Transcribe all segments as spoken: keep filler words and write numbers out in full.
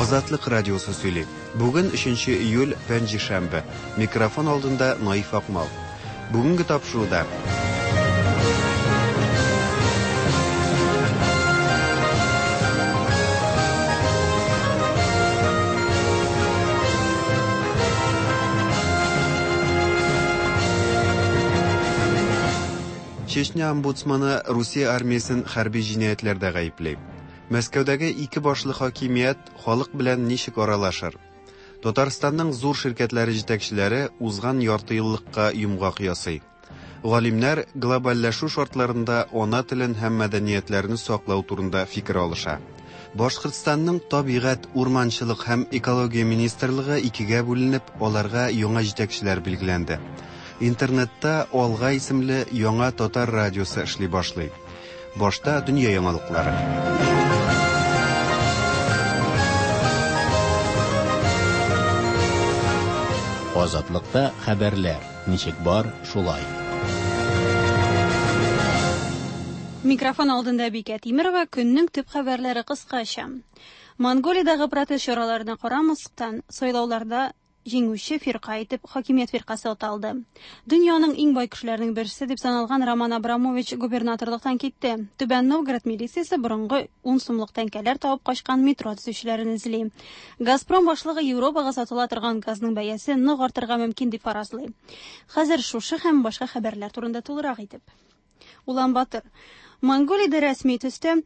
Азатлык радиосы сөйли. Бүген өченче июль, пәнҗешәмбе. Микрофон алдында Наиф Акмал. Бүгенге тапшыруда Чечня омбудсманы Русия армиясен хәрби җинаятьләрдә гаепли. Мәскәүдәге ике башлы хакимият халык белән ничек аралашыр? Татарстанның зур ширкәтләре җитәкчеләре узган ярты еллыкка йомгак ясый. Галимнәр глобальләшү шартларында ана телен һәм мәдәниятләрне саклау турында фикер алыша. Башкортстанның табигать, урманчылык һәм экология министрлыгы икегә бүленеп, аларга яңа җитәкчеләр билгеләнде. Интернетта Алга исемле яңа татар радиосы эшли башлый. Башта дөнья яңалыклары. Азатлыкта хәбәрләр ничек бар, шулай. Микрофон алдында Бикә Тимирова, көннең төп хәбәрләре кыскача. Монголиядәге протест чараларына карамастан, сайлауларда җиңүче фирка итеп хакимият фиркасы аталды. Дөньяның иң бай кешеләренең берсе дип саналган Роман Абрамович губернаторлыктан китте. Түбән Новгород милициясе борынгы ун сумлык тәңкәләр табып качкан метро төзүчеләрен эзли. Газпром башлыгы Европага сатыла торган газның бәясе нык артырга мөмкин дип фаразлый. Хәзер шушы һәм башка хәбәрләр турында тулырак итеп. Улан-Батор. Монголиядә рәсми төстә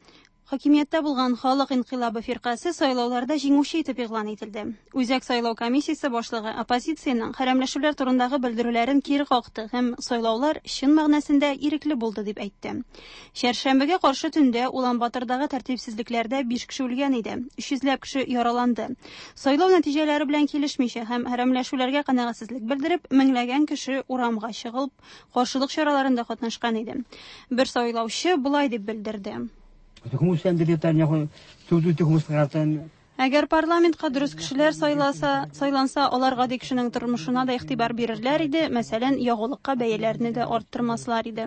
хакимияттә булган Халык инкыйлабы фиркасе сайлауларда җиңүче итеп игълан ителде. Үзәк сайлау комиссиясе башлыгы оппозициянең хәрәмләшүләр турындагы белдерүләрен кире какты һәм сайлаулар чын мәгънәсендә ирекле булды дип әйтте. Чәршәмбегә каршы төндә Улан-Батордагы тәртипсезлекләрдә биш кеше үлгән иде, өч йөзләп кеше яраланды. Сайлау нәтиҗәләре белән килешмичә һәм хәрәмләшүләргә канәгатьсезлек белдереп, меңләгән кеше урамга чыгып, каршылык чараларында катнашкан иде. Бер сайлаучы болай дип белдерде. Әгәр парламентка дөрес кешеләр сайласа, сайланса, алар гади кешенең тормышына да игътибар бирерләр иде, мәсәлән, ягулыкка бәяләрне дә арттырмаслар иде.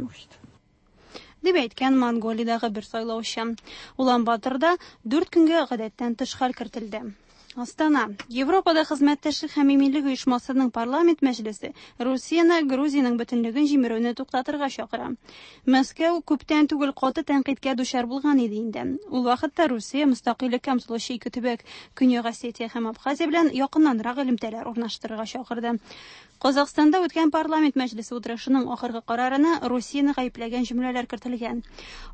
Дип әйткән Монголиядәге бер сайлаучы. Улан-Баторда дүрт көнгә гадәттән тыш хәл кертелде. Астана. Европада хезмәттәшлек һәм иминлек оешмасының парламент мәҗлесе Русияне Грузиянең бөтенлеген җимерүне туктатырга чакыра. Мәскәү күптән түгел каты тәнкыйтькә дучар булган иде инде. Ул вакытта Русия мөстәкыйльлеккә омтылучы ике төбәк Көньяк Осетия һәм Абхазия белән якыннанрак элемтәләр урнаштырырга чакырды. Казахстанда үткән парламент мәҗлесе утырышының ахыргы карарына Русияне гаепләгән җөмләләр кертелгән.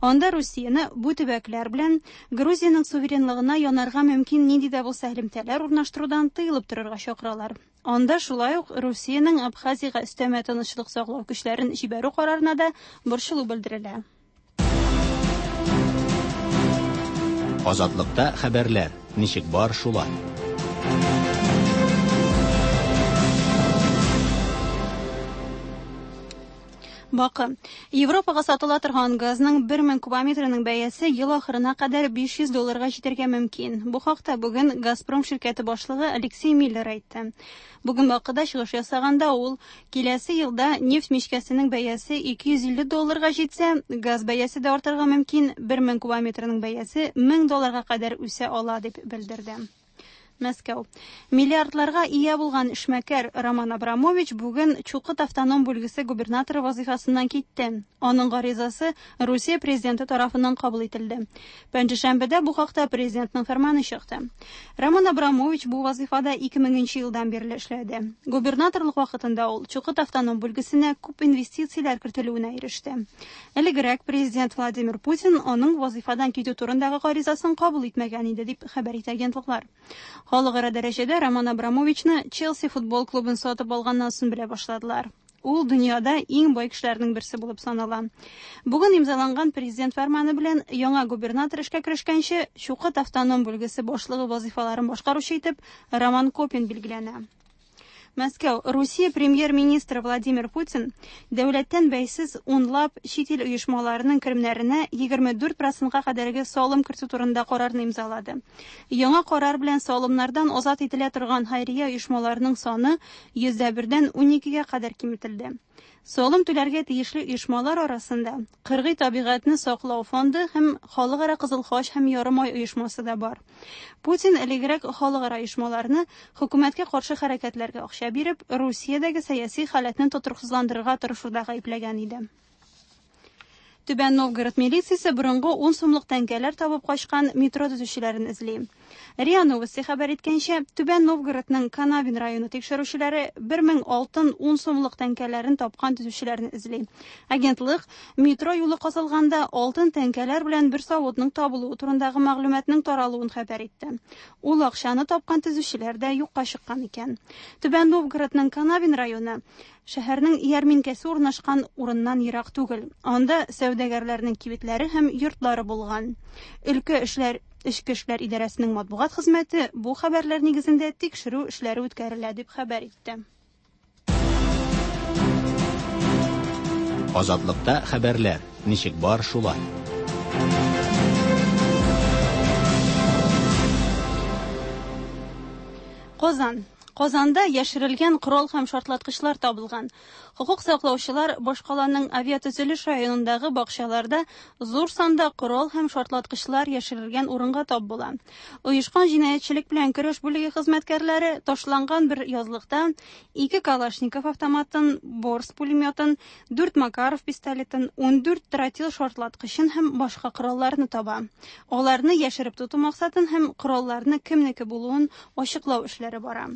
Анда Русияне бу төбәкләр белән Грузиянең суверенлыгына янарга мөмкин нинди дә булса элемтәләр урнаштырудан тыелып торырга чакыралар. Анда шулай ук Русиянең Абхазиягә өстәмә тынычлык саклау көчләрен җибәрү карарына да борчылу белдерелә. Азатлыкта хәбәрләр ничек бар, шулай. Бакы. Европага сатыла торган газның бер мең кубометрының бәясе ел ахырына кадәр биш йөз долларга җитәргә мөмкин. Бу хакта бүген Газпром ширкәте башлыгы Алексей Миллер әйтте. Бүген Бакыда чыгыш ясаганда ул киләсе елда нефть мичкәсенең бәясе ике йөз илле долларга җитсә, газ бәясе дә артырга мөмкин, бер мең кубометрының бәясе мең долларга кадәр үсә ала дип белдерде. Мәскәү. Миллиардларга ия булган эшмәкәр Роман Абрамович бүген Чукот автоном бүлгесе губернаторы вазифасыннан китте. Аның гаризасы Русия президенты тарафыннан кабул ителде. Пәнҗешәмбедә бу хакта президентның фәрманы чыкты. Роман Абрамович бу вазифада ике меңенче елдан бирле эшләде. Губернаторлык вакытында ул Чукот автоном бүлгесенә күп инвестицияләр кертелүенә иреште. Элегрәк президент Владимир Путин аның вазифадан китү турындагы гаризасын кабул итмәгән иде дип хәбәр итә агентлыклар. Халыкара дәрәҗәдә Роман Абрамовичны Челси футбол клубын сатып алганнан соң белә башладылар. Ул дөньяда иң бай кешеләрнең берсе булып санала. Бүген имзаланган президент фәрманы белән яңа губернатор эшкә керешкәнче Чукот автоном бүлгесе башлыгы вазифаларын башкаручы итеп Роман Копин билгеләнә. Мәскәү. Русия премьер-министры Владимир Путин дәүләттән бәйсез унлап чит ил оешмаларының керемнәренә егерме дүрт процентка кадәрге салым кертү турында карарны имзалады. Яңа карар белән салымнардан азат ителә торган хайрия оешмаларының саны йөздә бердән уникегә кадәр киметелде. Салым түләргә тиешле оешмалар арасында Кыргый табигатьне саклау фонды һәм Халыкара Кызыл Хач һәм Ярымай оешмасы да бар. Путин элегрәк халыкара оешмаларны хөкүмәткә каршы хәрәкәтләргә акча биреп, Русиядәге сәяси халәтне тотрыксызландырырга тырышуда гаепләгән иде. Түбән Новгород милициясе борынгы ун сумлык тәңкәләр табып качкан метро төзүчеләрен эзли. РИА Новости хәбәр иткәнчә, Түбән Новгородның Канавин районы тикшерүчеләре бер мең алтын ун сумлык тәңкәләрен тапкан төзүчеләрне эзли. Агентлык метро юлы казылганда алтын тәңкәләр белән бер савытның табылуы турындагы мәгълүматның таралуын хәбәр итте. Ул акчаны тапкан төзүчеләр дә юкка чыккан икән. Түбән Новгородның Канавин районы шәһәрнең ярминкәсе урнашкан урыннан ерак түгел. Анда сәүдәгәрләрнең кибетләре һәм йортлары булган. Өлкә эшләр Эчке эшләр идарәсенең матбугат хезмәте бу хәбәрләр нигезендә тикшерү эшләре үткәрелә дип хәбәр итте. Азатлыкта хәбәрләр ничек бар шулай. Казан. Казанда яшерелгән корал һәм шартлаткычлар табылган. Хокук саклаучылар башкаланың авиатөзелеш районындагы бакчаларда зур санда корал һәм шартлаткычлар яшерелгән урынга тап була. Оешкан җинаятьчелек белән көрәш бүлеге хезмәткәрләре ташланган бер язлыкта ике Калашников автоматын, Борс пулеметын, дүрт Макаров пистолетын, ун дүрт тротил шартлаткычын һәм башка коралларны таба. Аларны яшереп тоту максатын һәм коралларны кемнеке булуын ачыклау эшләре бара.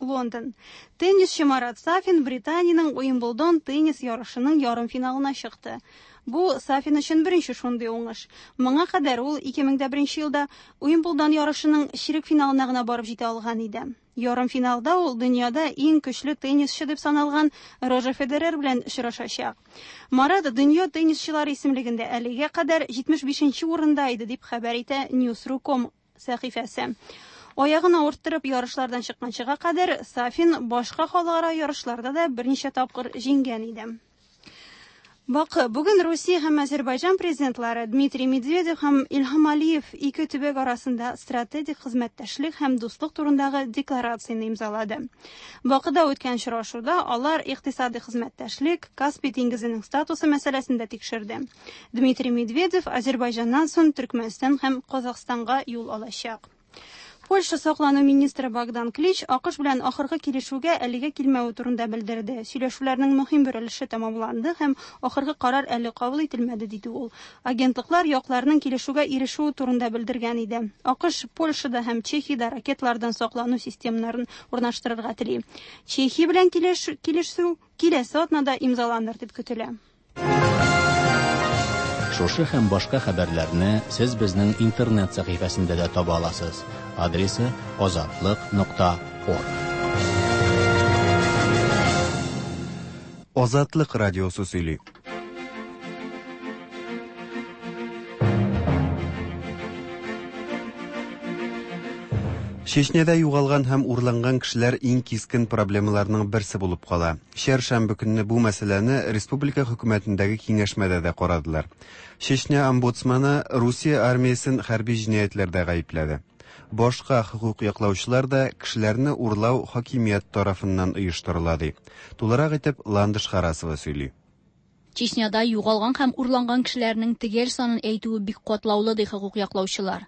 Лондон. Теннисчы Марат Сафин Британиянең Уимблдон теннис ярышының ярымфиналына чыкты. Бу Сафин өчен беренче шундый уңыш. Моңа кадәр ул ике мең дә беренче елда Уимблдон ярышының чирек финалына гына барып җитә алган иде. Ярымфиналда ул дөньяда иң көчле теннисчы дип саналган Рожер Федерер белән очрашачак. Марат дөнья теннисчылары исемлегендә әлегә кадәр җитмеш бишенче урында иде дип хәбәр итә News точка ком сәхифәсе. Аягын авырттырып ярышлардан чыкканчыга кадәр Сафин башка халыкара ярышларда да берничә тапкыр җиңгән иде. Бакы, бүген Русия һәм Азербайҗан президентлары Дмитрий Медведев һәм Илһам Алиев ике төбәк арасында стратегик хезмәттәшлек һәм дуслык турындагы декларацияне имзалады. Бакыда үткән очрашуда алар икътисади хезмәттәшлек, Каспий диңгезенең статусы мәсьәләсен дә тикшерде. Дмитрий Медведев Азербайҗаннан соң Төркмәнстан һәм Казахстанга юл алачак. Польша саклану министры Богдан Клич АКШ белән ахыргы килешүгә әлегә килмәве турында белдерде. Сөйләшүләрнең мөһим бер өлеше тәмамланды һәм ахыргы карар әле кабул ителмәде, диде ул. Агентлыклар якларның килешүгә ирешүе турында белдергән иде. АКШ Польшада һәм Чехиядә ракетлардан саклану системаларын урнаштырырга тели. Чехия белән килешү киләсе атнада имзаланыр дип көтелә. Шушы һәм башка хәбәрләрне сез безнең интернет сәхифәсендә дә таба аласыз. Адресы азатлык нокта орг. Азатлык радиосы сөйли. Чечняда югалган һәм урланган кешеләр иң кискен проблемаларның берсе булып кала. Чәршәмбе көнне бу мәсьәләне республика хөкүмәтендәге киңәшмәдә дә карадылар. Чечня омбудсманы Русия армиясен хәрби җинаятьләрдә гаепләде. Башка хокук яклаучылар да кешеләрне урлау хакимият тарафыннан оештырыла ди. Тулырак итеп Ландыш Харасова сөйли. Чечняда югалган һәм урланган кешеләрнең төгәл санын әйтүе бик катлаулы ди хокук яклаучылар.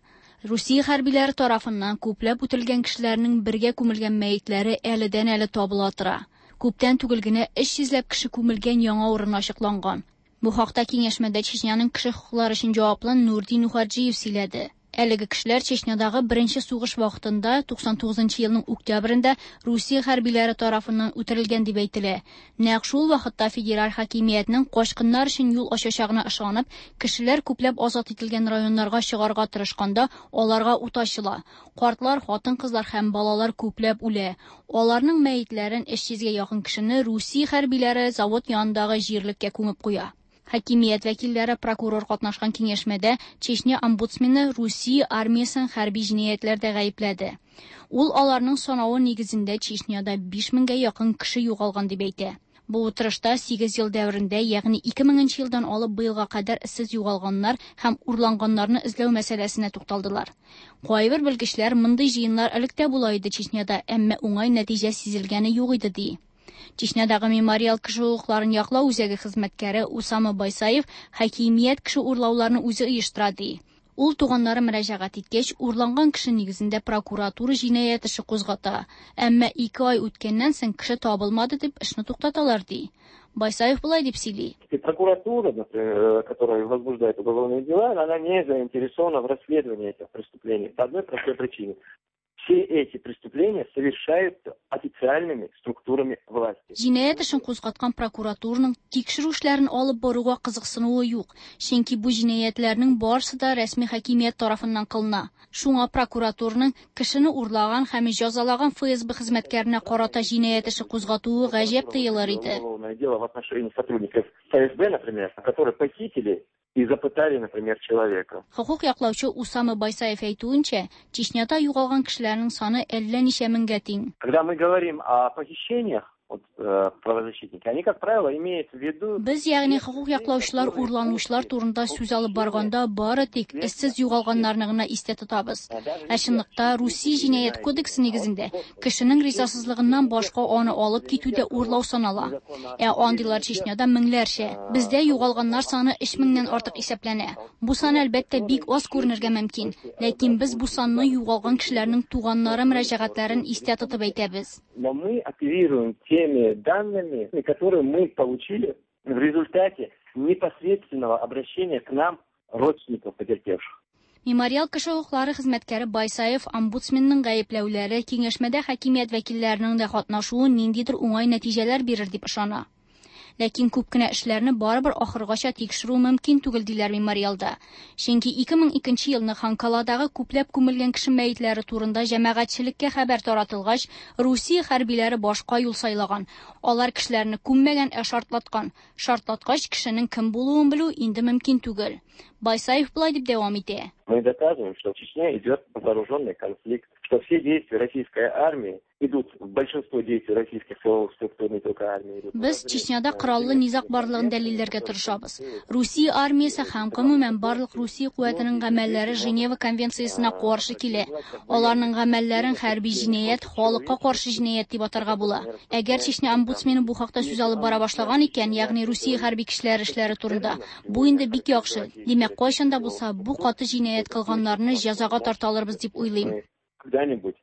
Русия хәрбиләре тарафыннан күпләп үтелгән кешеләрнең бергә күмелгән мәетләре әледән-әле табыла тора. Күптән түгел генә өч йөзләп кеше күмелгән яңа урын ачыкланган. Бу хакта киңәшмәдә Чечняның кеше хокуклары өчен җаваплы Нурдин Ухаджиев сөйләде. Әлеге кешеләр Чечнядагы беренче сугыш вакытында туксан тугызынчы елның октябрендә Русия хәрбиләре тарафыннан үтерелгән дип әйтелә. Нәкъ шул вакытта федераль хакимиятнең качкыннар өчен юл ачачагына ышанып, кешеләр күпләп азат ителгән районнарга чыгарга тырышканда аларга ут ачыла. Картлар, хатын-кызлар һәм балалар күпләп үлә. Аларның мәетләрен өч йөзгә якын кешене Русия хәрбиләре завод янындагы җирлеккә күмеп куя. Хакимият вәкилләре прокурор катнашкан киңәшмәдә Чечня омбудсмены Русия армиясен хәрби җинаятьләрдә гаепләде. Ул аларның санавы нигезендә Чечняда биш меңгә якын кеше югалган дип әйтә. Бу утырышта сигез ел дәверендә, ягъни ике меңенче елдан алып быелга кадәр эзсез югалганнар һәм урланганнарны эзләү мәсьәләсенә тукталдылар. Кайбер белгечләр мондый җыеннар элек тә була иде Чечняда, әмма уңай нәтиҗә сизелгәне юк иде ди. Чечнядагы Мемориал кеше хокукларын яклау үзәге хезмәткәре Усама Байсаев хакимият кеше урлауларны үзе оештыра ди. Ул туганнары мөрәҗәгать иткәч, урланган кеше нигезендә прокуратура җинаять эше кузгата. Әмма ике ай үткәннән соң кеше табылмады дип эшне туктаталар ди. Байсаев болай дип сөйли. Прокуратура, например, которая возбуждает уголовные дела, она не заинтересована в расследовании этих преступлений по одной простой причине. Все эти преступления совершаются официальными структурами власти. Җинаять эшен кузгаткан прокуратураның тикшерү эшләрен алып баруга кызыксынуы юк, чөнки бу җинаятьләрнең барысы да рәсми хакимият тарафыннан кылына. Шуңа прокуратураның кешене урлаган һәм җәзалаган Эф Эс Бэ хезмәткәренә карата җинаять эше кузгатуы гаҗәп тоелыр иде. Уголовное дело в отношении сотрудников Эф Эс Бэ, например, которые похитили и запытали, например, человека. Хокук яклаучы Усама Байсаев әйтүенчә, Чечняда югалган кешеләрнең саны әллә ничә меңгә тиң. Когда мы говорим о похищениях, вот, э, правозащитники, они, как правило, имеют в виду... Без, ягъни хокук яклаучылар урланучылар турында сүз алып барганда бары тик эзсез югалганнарны гына истә тотабыз. Ә чынлыкта Русия җинаять кодексы нигезендә кешенең ризасызлыгыннан башка аны алып китү дә урлау санала. Ә андыйлар Чечняда меңләрчә. Бездә югалганнар саны өч меңнән артык исәпләнә. Бу сан әлбәттә бик аз күренергә мөмкин, ләкин без бу санны югалган кешеләрнең туганнары мөрәҗәгатьләрен истә тотып әйтәбез. Но мы оперируем теми данными, которые мы получили в результате непосредственного обращения к нам родственников потерпевших. Мемориал кеше хокуклары хезмәткәре Байсаев омбудсменның гаепләүләре киңәшмәдә хакимият вәкилләренең дә катнашуы ниндидер уңай нәтиҗәләр бирер дип ышана. Ләкин күп кенә эшләрне барыбер ахыргача тикшерү мөмкин түгел диләр мемориалда. Чөнки ике мең икенче елны Ханкаладагы күпләп күмелгән кеше мәетләре турында җәмәгатьчелеккә хәбәр таратылгач, Русия хәрбиләре башка юл сайлаган. Алар кешеләрне күммәгән, ә шартлаткан. Шартлаткач кешенең кем булуын белү инде мөмкин түгел. Байсаев болай дип дәвам итә. Мы доказываем, что в Чечне идет вооруженный конфликт, что все действия российской армии идут, большинство действий российских силовых структур, не только армии, идут. Без Чечняда кораллы низаг барлыгын дәлилләргә тырышабыз. Русия армиясе һәм гомумән барлык Русия куәтенең гамәлләре Женева конвенциясенә каршы килә. Аларның гамәлләрен хәрби җинаять, халыкка каршы җинаять дип атарга була. Әгәр Чечня омбудсмены бу хакта сүз алып бара башлаган икән, ягъни Русия хәрби кешеләре эшләре турында, бу инде бик яхшы. Димәк, кайчан да булса бу каты җинаять кылганнарны җәзага тарта алырбыз дип уйлыйм. Когда-нибудь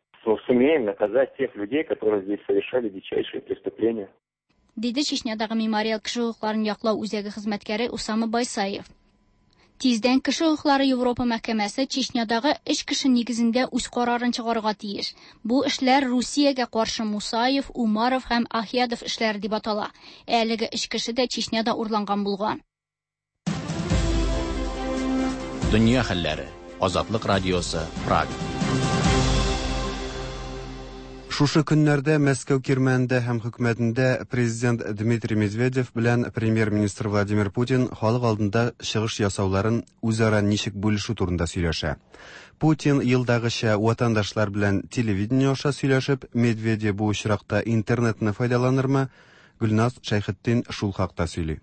сумеем наказать тех людей, которые здесь совершали дичайшие преступления. Диде Чечнядагы Мемориал кеше хокукларын яклау үзәге хезмәткәре Усама Байсаев. Тиздән кеше хокуклары Европа мәхкәмәсе Чечнядагы өч кеше нигезендә үз карарын чыгарырга тиеш. Бу эшләр Русиягә каршы Мусаев, Умаров һәм Ахиядов эшләре дип атала. Әлеге өч кеше дә Чечняда урланган булган. Дөнья хәлләре. Азатлык радиосы, Прага. Шушы көннәрдә Мәскәү кирмәнендә һәм хөкүмәтендә президент Дмитрий Медведев белән премьер-министр Владимир Путин халык алдында чыгыш ясауларын үзара ничек бүлешү турында сөйләшә. Путин елдагыча ватандашлар белән телевидение аша сөйләшеп, Медведев бу очракта интернетны файдаланырмы? Гөлназ Шәйхетдин шул хакта сөйли.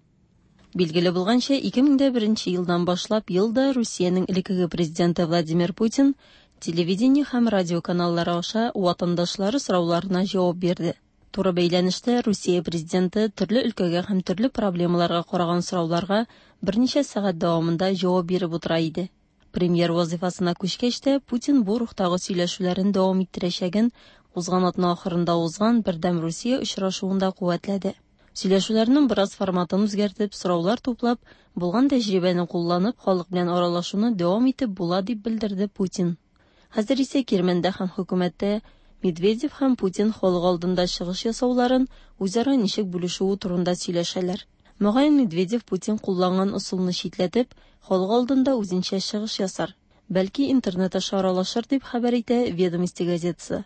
Билгеле булганча, ике мең дә беренче елдан башлап елда Русиянең элеккеге президенты Владимир Путин телевидение һәм радио каналлары аша ватандашлары сорауларына җавап бирде. Туры бәйләнештә Русия президенты төрле өлкәгә һәм төрле проблемаларга караган сорауларга берничә сәгать дәвамында җавап биреп утыра иде. Премьер вазифасына күчкәч тә Путин бу рухтагы сөйләшүләрен дәвам иттерәчәген узган атна ахырында узган Бердәм Русия очрашуында куәтләде. Сөйләшүләрнең бераз форматын үзгәртеп, сораулар туплап, булган тәҗрибәне кулланып, халык белән аралашуны дәвам итеп була дип белдерде Путин. Хәзер исә Кирмәндә һәм хөкүмәттә Медведев һәм Путин халык алдында чыгыш ясауларын үзара ничек бүлешүе турында сөйләшәләр. Мөгаен Медведев Путин кулланган ысулны читләтеп, халык алдында үзенчә чыгыш ясар. Бәлки интернет аша аралашыр дип хәбәр итә Ведомости газетасы.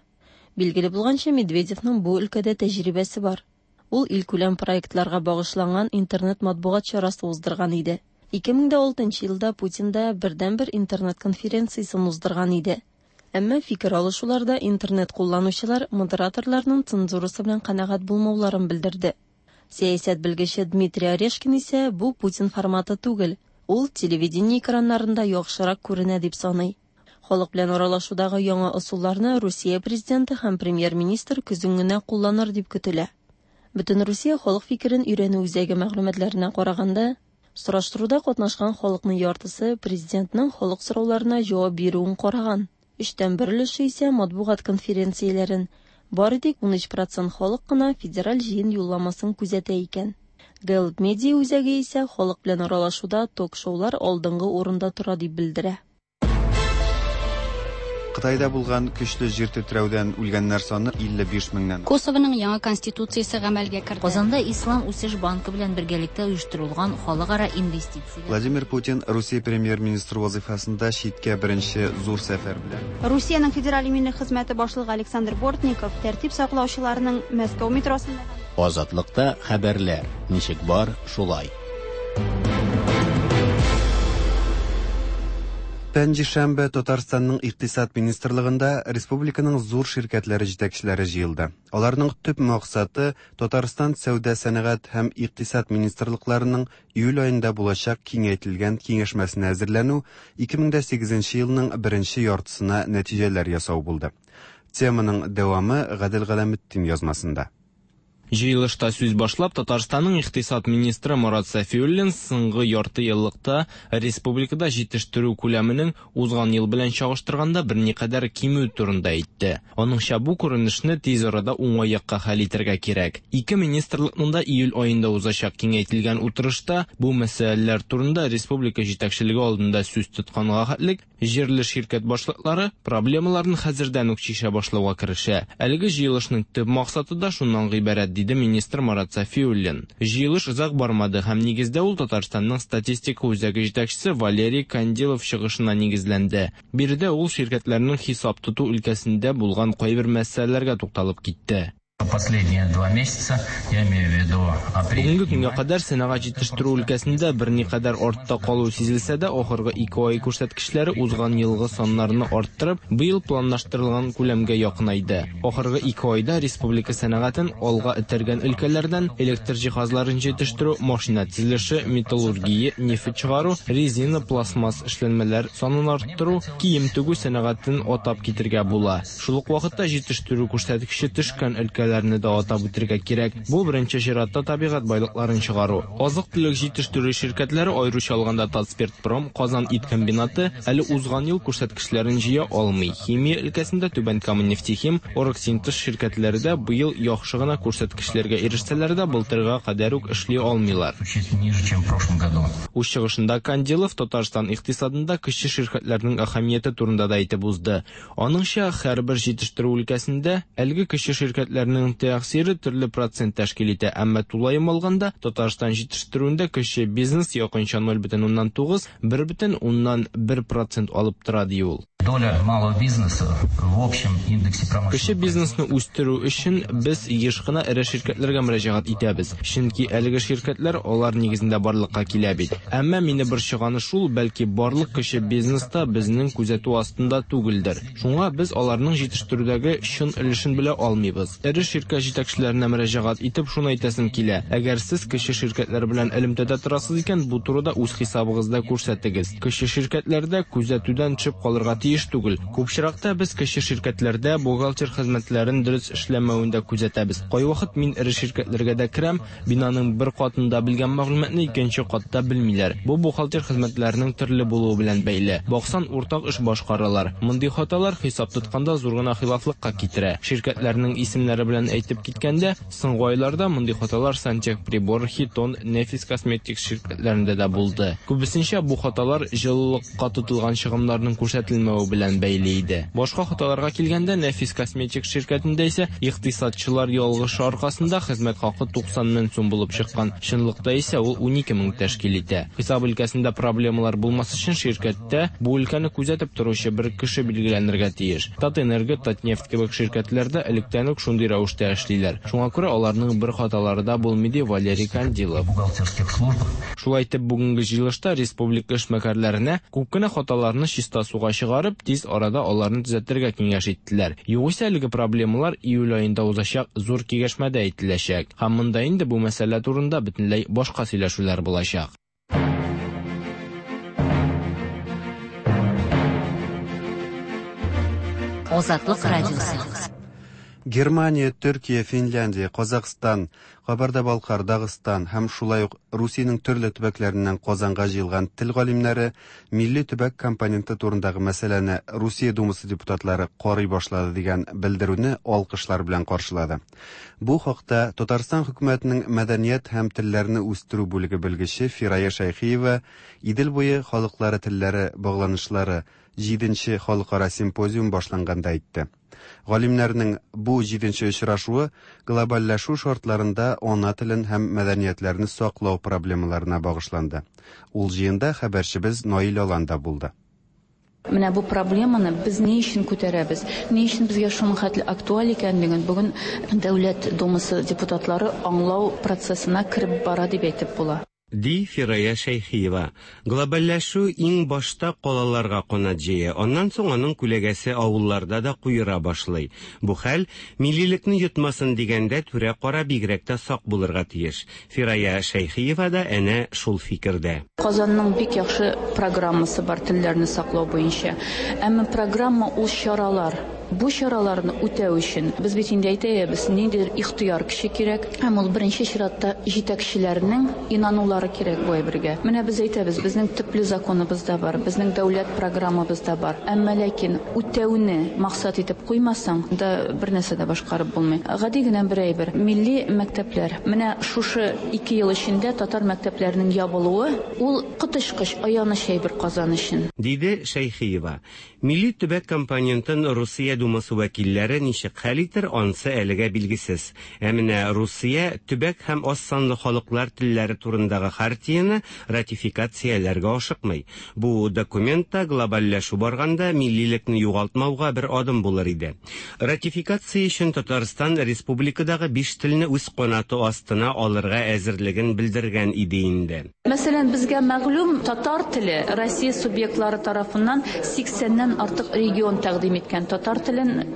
Билгеле булганча, Медведевның бу өлкәдә тәҗрибәсе бар. Ул илкүләм проектларга багышланган интернет матбугат чарасы уздырган иде. Ике мең дә алтынчы елда Путин да бердәнбер интернет конференциясен уздырган иде. Әмма фикер алышуларда интернет кулланучылар модераторларның цензурасы белән канәгать булмауларын белдерде. Сәясәт белгече Дмитрий Орешкин исә бу Путин форматы түгел, ул телевидение экраннарында яхшырак күренә дип саный. Халык белән аралашудагы яңа ысулларны Русия президенты һәм премьер-министр көзен генә кулланыр дип көтелә. Бөтенрусия халык фикерен өйрәнү үзәге мәгълүматларына караганда, сораштыруда катнашкан халыкның яртысы президентның халык сорауларына җавап бирүен караган. Өчтән бер өлеше исә матбугат конференцияләрен, бары тик унөч процент халык кына федераль җыен юлламасын күзәтә икән. Гэллап медиа үзәге исә халык белән аралашуда ток-шоулар алдынгы урында тора дип белдерә. Кытайда булган көчле җир тетрәүдән үлгәннәр саны илле биш меңнән. Косованың яңа конституциясе гамәлгә керде. Казанда Ислам үсеш банкы белән бергәлектә оештырылган халыкара инвестицияләр. Владимир Путин Русия премьер-министры вазифасында читкә беренче зур сәфәр белән. Русиянең федераль иминлек хезмәте башлыгы Александр Бортников тәртип саклаучыларның Мәскәү метросында Азатлыкта хәбәрләр ничек бар, шулай. Пәнҗешәмбе Татарстанның икътисад министрлыгында республиканың зур ширкәтләре җитәкчеләре җыелды. Аларның төп максаты Татарстан сәүдә сәнәгать һәм икътисад министрлыкларының июль аенда булачак киңәйтелгән киңәшмәсенә әзерләнү, ике мең дә сигезенче елның беренче яртысына нәтиҗәләр ясау булды. Теманың дәвамы Гадел Галәметдин язмасында. Җыелышта сүз башлап, Татарстанның икътисад министры Марат Сафиуллин соңгы ярты еллыкта республикада җитештерү күләменең узган ел белән чагыштырганда берникадәр кимү турында әйтте. Аныңча бу күренешне тиз арада уңай якка хәл итәргә кирәк. Ике министрлыкның да июль аенда узачак киңәйтелгән утырышта бу мәсьәләләр турында республика җитәкчелеге алдында сүз тотканга хәтлек җирле ширкәт башлыклары проблемаларын хәзердән үк чишә башлауга керешә. Әлеге җыелышның төп максаты да шуннан гыйбарәт, диде министр Марат Сафиуллин. Җыелыш озак бармады һәм нигездә ул Татарстанның статистика үзәге җитәкчесе Валерий Кандилов чыгышына нигезләнде. Биредә ул ширкәтләрнең хисап тоту өлкәсендә булган кайбер мәсьәләләргә тукталып китте. Последние два месяца, я имею в виду апрель. Бүгенге көнгә кадәр сәнәгать җитештерү өлкәсендә берникадәр артта калу сизелсә дә, ахыргы ике ай күрсәткечләре узган елгы саннарны арттырып, быел планлаштырылган күләмгә якынайды. Ахыргы ике айда республика сәнәгатен алга этәргән өлкәләрдән электр җиһазларын җитештерү, машина төзелеше, металлургия, нефть чыгару, резина, пластмасс эшләнмәләр санын арттыру, кием тегү сәнәгатен атап китергә була. Шул ук вакытта җитештерү күрсәткече төшкән өлкәләр да атап үтергә кирәк. Бу беренче чиратта табигать байлыкларын чыгару. Азык-төлек җитештерү ширкәтләре, аеруча алганда Татспиртпром, Казан ит комбинаты әле узган ел күрсәткечләрен җыя алмый. Химия өлкәсендә Түбән Кама нефтехим, Оргсинтез ширкәтләре дә быел яхшы гына күрсәткечләргә ирешсәләр дә, былтырга кадәр үк эшли алмыйлар. Үз чыгышында Кандилов Татарстан икътисадында кече ширкәтләрнең әһәмияте турында да әйтеп узды. Аныңча, һәрбер җитештерү өлкәсендә әлеге кече ширкәтләрнең тәэсире төрле процент тәшкил итә, әмма тулаем алганда Татарстан җитештерүендә кече бизнес якынча ноль бөтен уннан тугыз, бер бөтен уннан бер процент алып тора, ди ул. Доля малого бизнеса в общем индексе промышленности. Кече бизнесны үстерү өчен без еш кына эре ширкәтләргә мөрәҗәгать итәбез, чөнки әлеге ширкәтләр алар нигезендә барлыкка килә бит. Әмма мине борчыганы шул, бәлки барлык кече бизнеста безнең күзәтү астында түгелдер. Шуңа без аларның җитештерүдәге чын өлешен белә алмыйбыз. Эре ширкәт җитәкчеләренә мөрәҗәгать итеп шуны әйтәсем килә. Әгәр сез кече ширкәтләр белән элемтәдә торасыз икән, бу турыда үз хисабыгызда күрсәтегез. Кече ширкәтләрдә күзәтүдән төшеп калырга тиеш түгел. Күп очракта без кече ширкәтләрдә бухгалтер хезмәтләрен дөрес эшләмәвен дә күзәтәбез. Кайвакыт мин эре ширкәтләргә дә керәм, бинаның бер катында белгән мәгълүматны икенче катта белмиләр. Бу бухгалтер хезмәтләренең төрле булуы белән бәйле. Баксан, уртак эш башкаралар. Мондый хаталар хисап тотканда зур гына хилафлыкка китерә. Ширкәтләрнең исемнәре белән әйтеп киткәндә, соңгы айларда мондый хаталар Сантехприбор, Хитон, Нефис косметик ширкәтләрендә дә булды. Күбесенчә бу хаталар җылылыкка тотылган чыгымнарның күрсәтелмәве белән бәйле иде. Башка хаталарга килгәндә, Нефис косметик ширкәтендә исә икътисадчылар ялгышы аркасында хезмәт хакы туксан мең сум булып чыккан. Чынлыкта исә ул унике мең тәшкил итә. Хисап өлкәсендә проблемалар булмас өчен ширкәттә бу өлкәне күзәтеп торучы бер кеше билгеләнергә тиеш. Татэнерго, Татнефть кебек ширкәтләрдә электән үк шундый рәвештә эшлиләр. Шуңа күрә аларның бер хаталары да булмый, ди Валерий Кандилов. Шулай итеп, бүгенге җыелышта республика эшмәкәрләренә күп кенә хаталарны чиста суга чыгарып, тиз арада аларны төзәтергә киңәш иттеләр. Югыйсә әлеге проблемалар июль аенда узачак зур киңәшмәдә әйтеләчәк. Һәм монда инде бу мәсьәлә турында бөтенләй башка сөйләшүләр булачак. Азатлык радиосы. Германия, Төркия, Финляндия, Казахстан, Кабарда-Балкар, Дагыстан һәм шулай ук Русиянең төрле төбәкләреннән Казанга җыелган тел галимнәре милли төбәк компоненты турындагы мәсьәләне Русия Думасы депутатлары карый башлады дигән белдерүне алкышлар белән каршылады. Бу хакта Татарстан хөкүмәтенең мәдәният һәм телләрне үстерү бүлеге белгече Фирая Шәйхиева Идел буе халыклары телләре багланышлары җиденче халыкара симпозиум башланганда әйтте. Галимнәрнең бу җиденче очрашуы глобальләшү шартларында ана телен һәм мәдәниятләрне саклау проблемаларына багышланды. Ул җыенда хәбәрчебез Наил Алан да булды. Менә бу проблеманы без ни өчен күтәрәбез? Ни өчен безгә шуның хәтле актуаль икәнлеген бүген Дәүләт Думасы депутатлары аңлау процессына кереп бара дип әйтеп була. Ди Фирая Шәйхиева. Глобальләшү иң башта калаларга канат җәя, аннан соң аның күләгәсе авылларда да куера башлый. Бу хәл миллилекне йотмасын дигәндә түрә-кара бигрәк тә сак булырга тиеш. Фирая Шәйхиева да әнә шул фикердә. Казанның бик яхшы программасы бар телләрне саклау буенча. Әмма программа ул чаралар. Бу чараларны үтәү өчен без бит инде әйтәбез, ниндидер ихтыяр көче кирәк. Һәм ул беренче чиратта җитәкчеләрнең инанулары кирәк бу әйбергә. Менә без әйтәбез, безнең төпле законыбыз да бар, безнең дәүләт программабыз да бар. Әмма ләкин үтәүне максат итеп куймасаң да бер нәрсә дә башкарып булмый. Гади генә бер әйбер. Милли мәктәпләр. Менә шушы ике ел эчендә татар мәктәпләренең ябылуы ул коточкыч аяныч әйбер Казан өчен. Диде Шәйхиева. Милли төбәк компонентын Русия Думасы вәкилләре ничек хәл итер, ансы әлегә билгесез. Ә менә Русия төбәк һәм аз санлы халыклар телләре турындагы хартияне ратификацияләргә ашыкмый. Бу документта глобальләшү барганда миллилекне югалтмауга бер адым булыр иде. Ратификация өчен Татарстан республикадагы биш телне үз канаты астына алырга әзерлеген белдергән иде инде. Мәсәлән, безгә мәгълүм татар теле Россия субъектлары тарафыннан сиксәннән артык регион тәкъдим иткән татар телен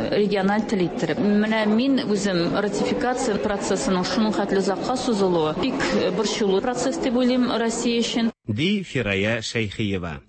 региональ тел иттереп. Менә мин үзем ратификация процессының шуның хәтле озакка сузылуы бик борчулы процесс дип уйлыйм Россия өчен. Ди Фирая Шәйхиева.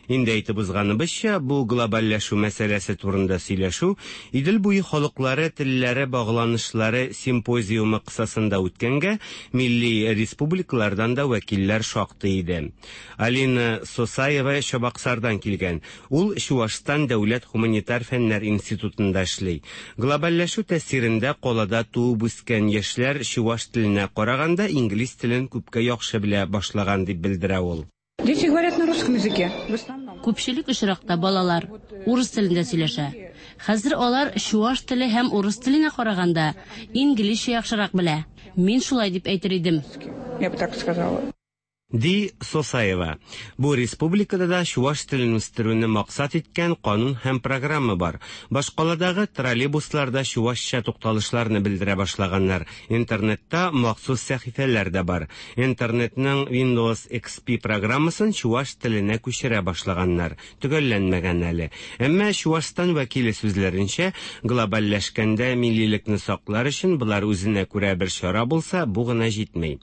Инде әйтеп узганыбызча, бу глобальләшү мәсьәләсе турында сөйләшү Идел буе халыклары телләре багланышлары симпозиумы кысасында үткәнгә милли республикалардан да вәкилләр шактый иде. Алина Сосаева Чабаксардан килгән. Ул Чуашстан дәүләт гуманитар фәннәр институтында эшли. Глобальләшү тәэсирендә калада туып үскән яшьләр чуаш теленә караганда инглиз телен күпкә яхшы белә башлаган дип белдерә ул. Дети говорят на русском языке. В основном. Күпчелек очракта балалар урыс телендә сөйләшә. Хәзер алар чуаш теле һәм урыс теленә караганда инглизчә яхшырак белә. Мин шулай дип әйтер идем. Я бы так сказала. Ди Сосаева. Бу республикада да чуаш телен үстерүне максат иткән канун һәм программа бар. Башкаладагы троллейбусларда чуашча тукталышларны белдерә башлаганнар. Интернетта махсус сәхифәләр дә бар. Интернетның Windows X P программасын чуаш теленә күчерә башлаганнар. Төгәлләнмәгән әле. Әмма Чуашстан вәкиле сүзләренчә, глобальләшкәндә миллилекне саклар өчен болар үзенә күрә бер чара булса, бу гына җитми.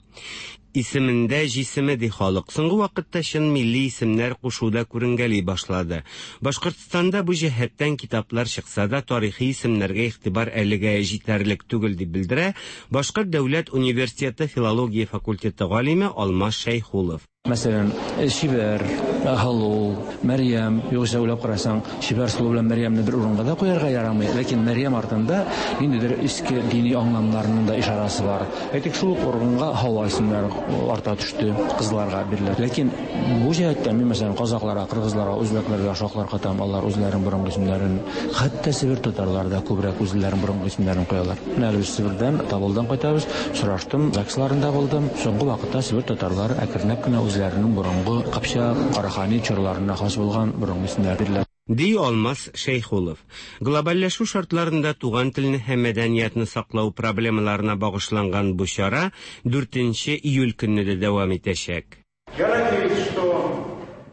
Исемендә җисеме ди халык. Соңгы вакытта чын милли исемнәр кушуда күренгәли башлады. Башкортстанда бу җәһәттән китаплар чыкса да, тарихи исемнәргә игътибар әлегә җитәрлек түгел дип белдерә Башкорт дәүләт университеты филология факультеты галиме Алмаз Шәйхулов. Мәсәлән, Шибәр, Һалу, Мәрьям, югыйсә уйлап карасаң, Шибәр сылу белән Мәрьямне бер урынга да куярга ярамый. Ләкин Мәрьям артында ниндидер иске дини аңламнарның да ишарасы бар. Әйтик, шул ук урынга Һава исемнәре арта төште, кызларга бирелә. Ләкин бу җәһәттән мин, мәсәлән, казакъларга, кыргызларга, үзбәкләргә шаклар катам, алар үзләренең борынгы исемнәрен, хәтта Себер татарлары да күбрәк үзләренең борынгы исемнәрен куялар. Менә без Себердән, Табылдан кайтабыз, сораштым, ЗАГСларында булдым. Соңгы вакытта Себер татарлары әкренләп кенә үзләренең борынгы Кыпчак, Карахани чорларына хас булган борынгы исемнәр бирелә. Ди Алмаз Шәйхулов. Глобальләшү шартларында туган телне һәм мәдәниятне саклау проблемаларына багышланган бу чара дүртенче июль көнне дә дәвам итәчәк.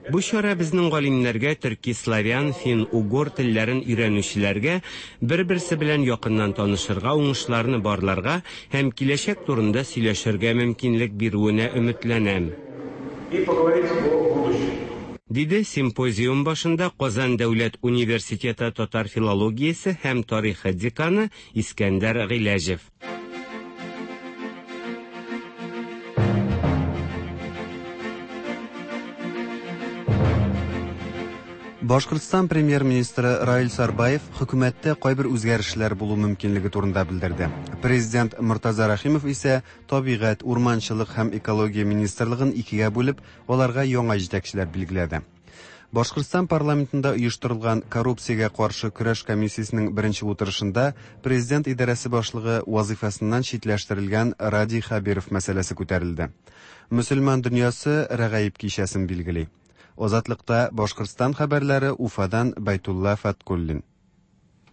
Бу чара безнең галимнәргә, төрки, славян, фин, угор телләрен өйрәнүчеләргә бер-берсе белән якыннан танышырга, уңышларны барларга һәм киләчәк турында сөйләшергә мөмкинлек бирүенә өметләнәм. И поговорить о будущем. Диде симпозиум башында Казан дәүләт университеты татар филологиясе һәм тарихы деканы Искәндәр Гыйләҗев. Башкортстан премьер-министры Раил Сарбаев хөкүмәттә кайбер үзгәрешләр булу мөмкинлеге турында белдерде. Президент Мортаза Рәхимов исә табигать, урманчылык һәм экология министрлыгын икегә бүлеп, аларга яңа җитәкчеләр билгеләде. Башкортстан парламентында оештырылган коррупциягә каршы көрәш комиссиясенең беренче утырышында президент идарәсе башлыгы вазифасыннан читләштерелгән Радий Хәбиров мәсьәләсе күтәрелде. Мөселман дөньясы Рәгаиб кичәсен билгели. Азатлыкта Башкортстан хәбәрләре Уфадан Байтулла Фаткуллин.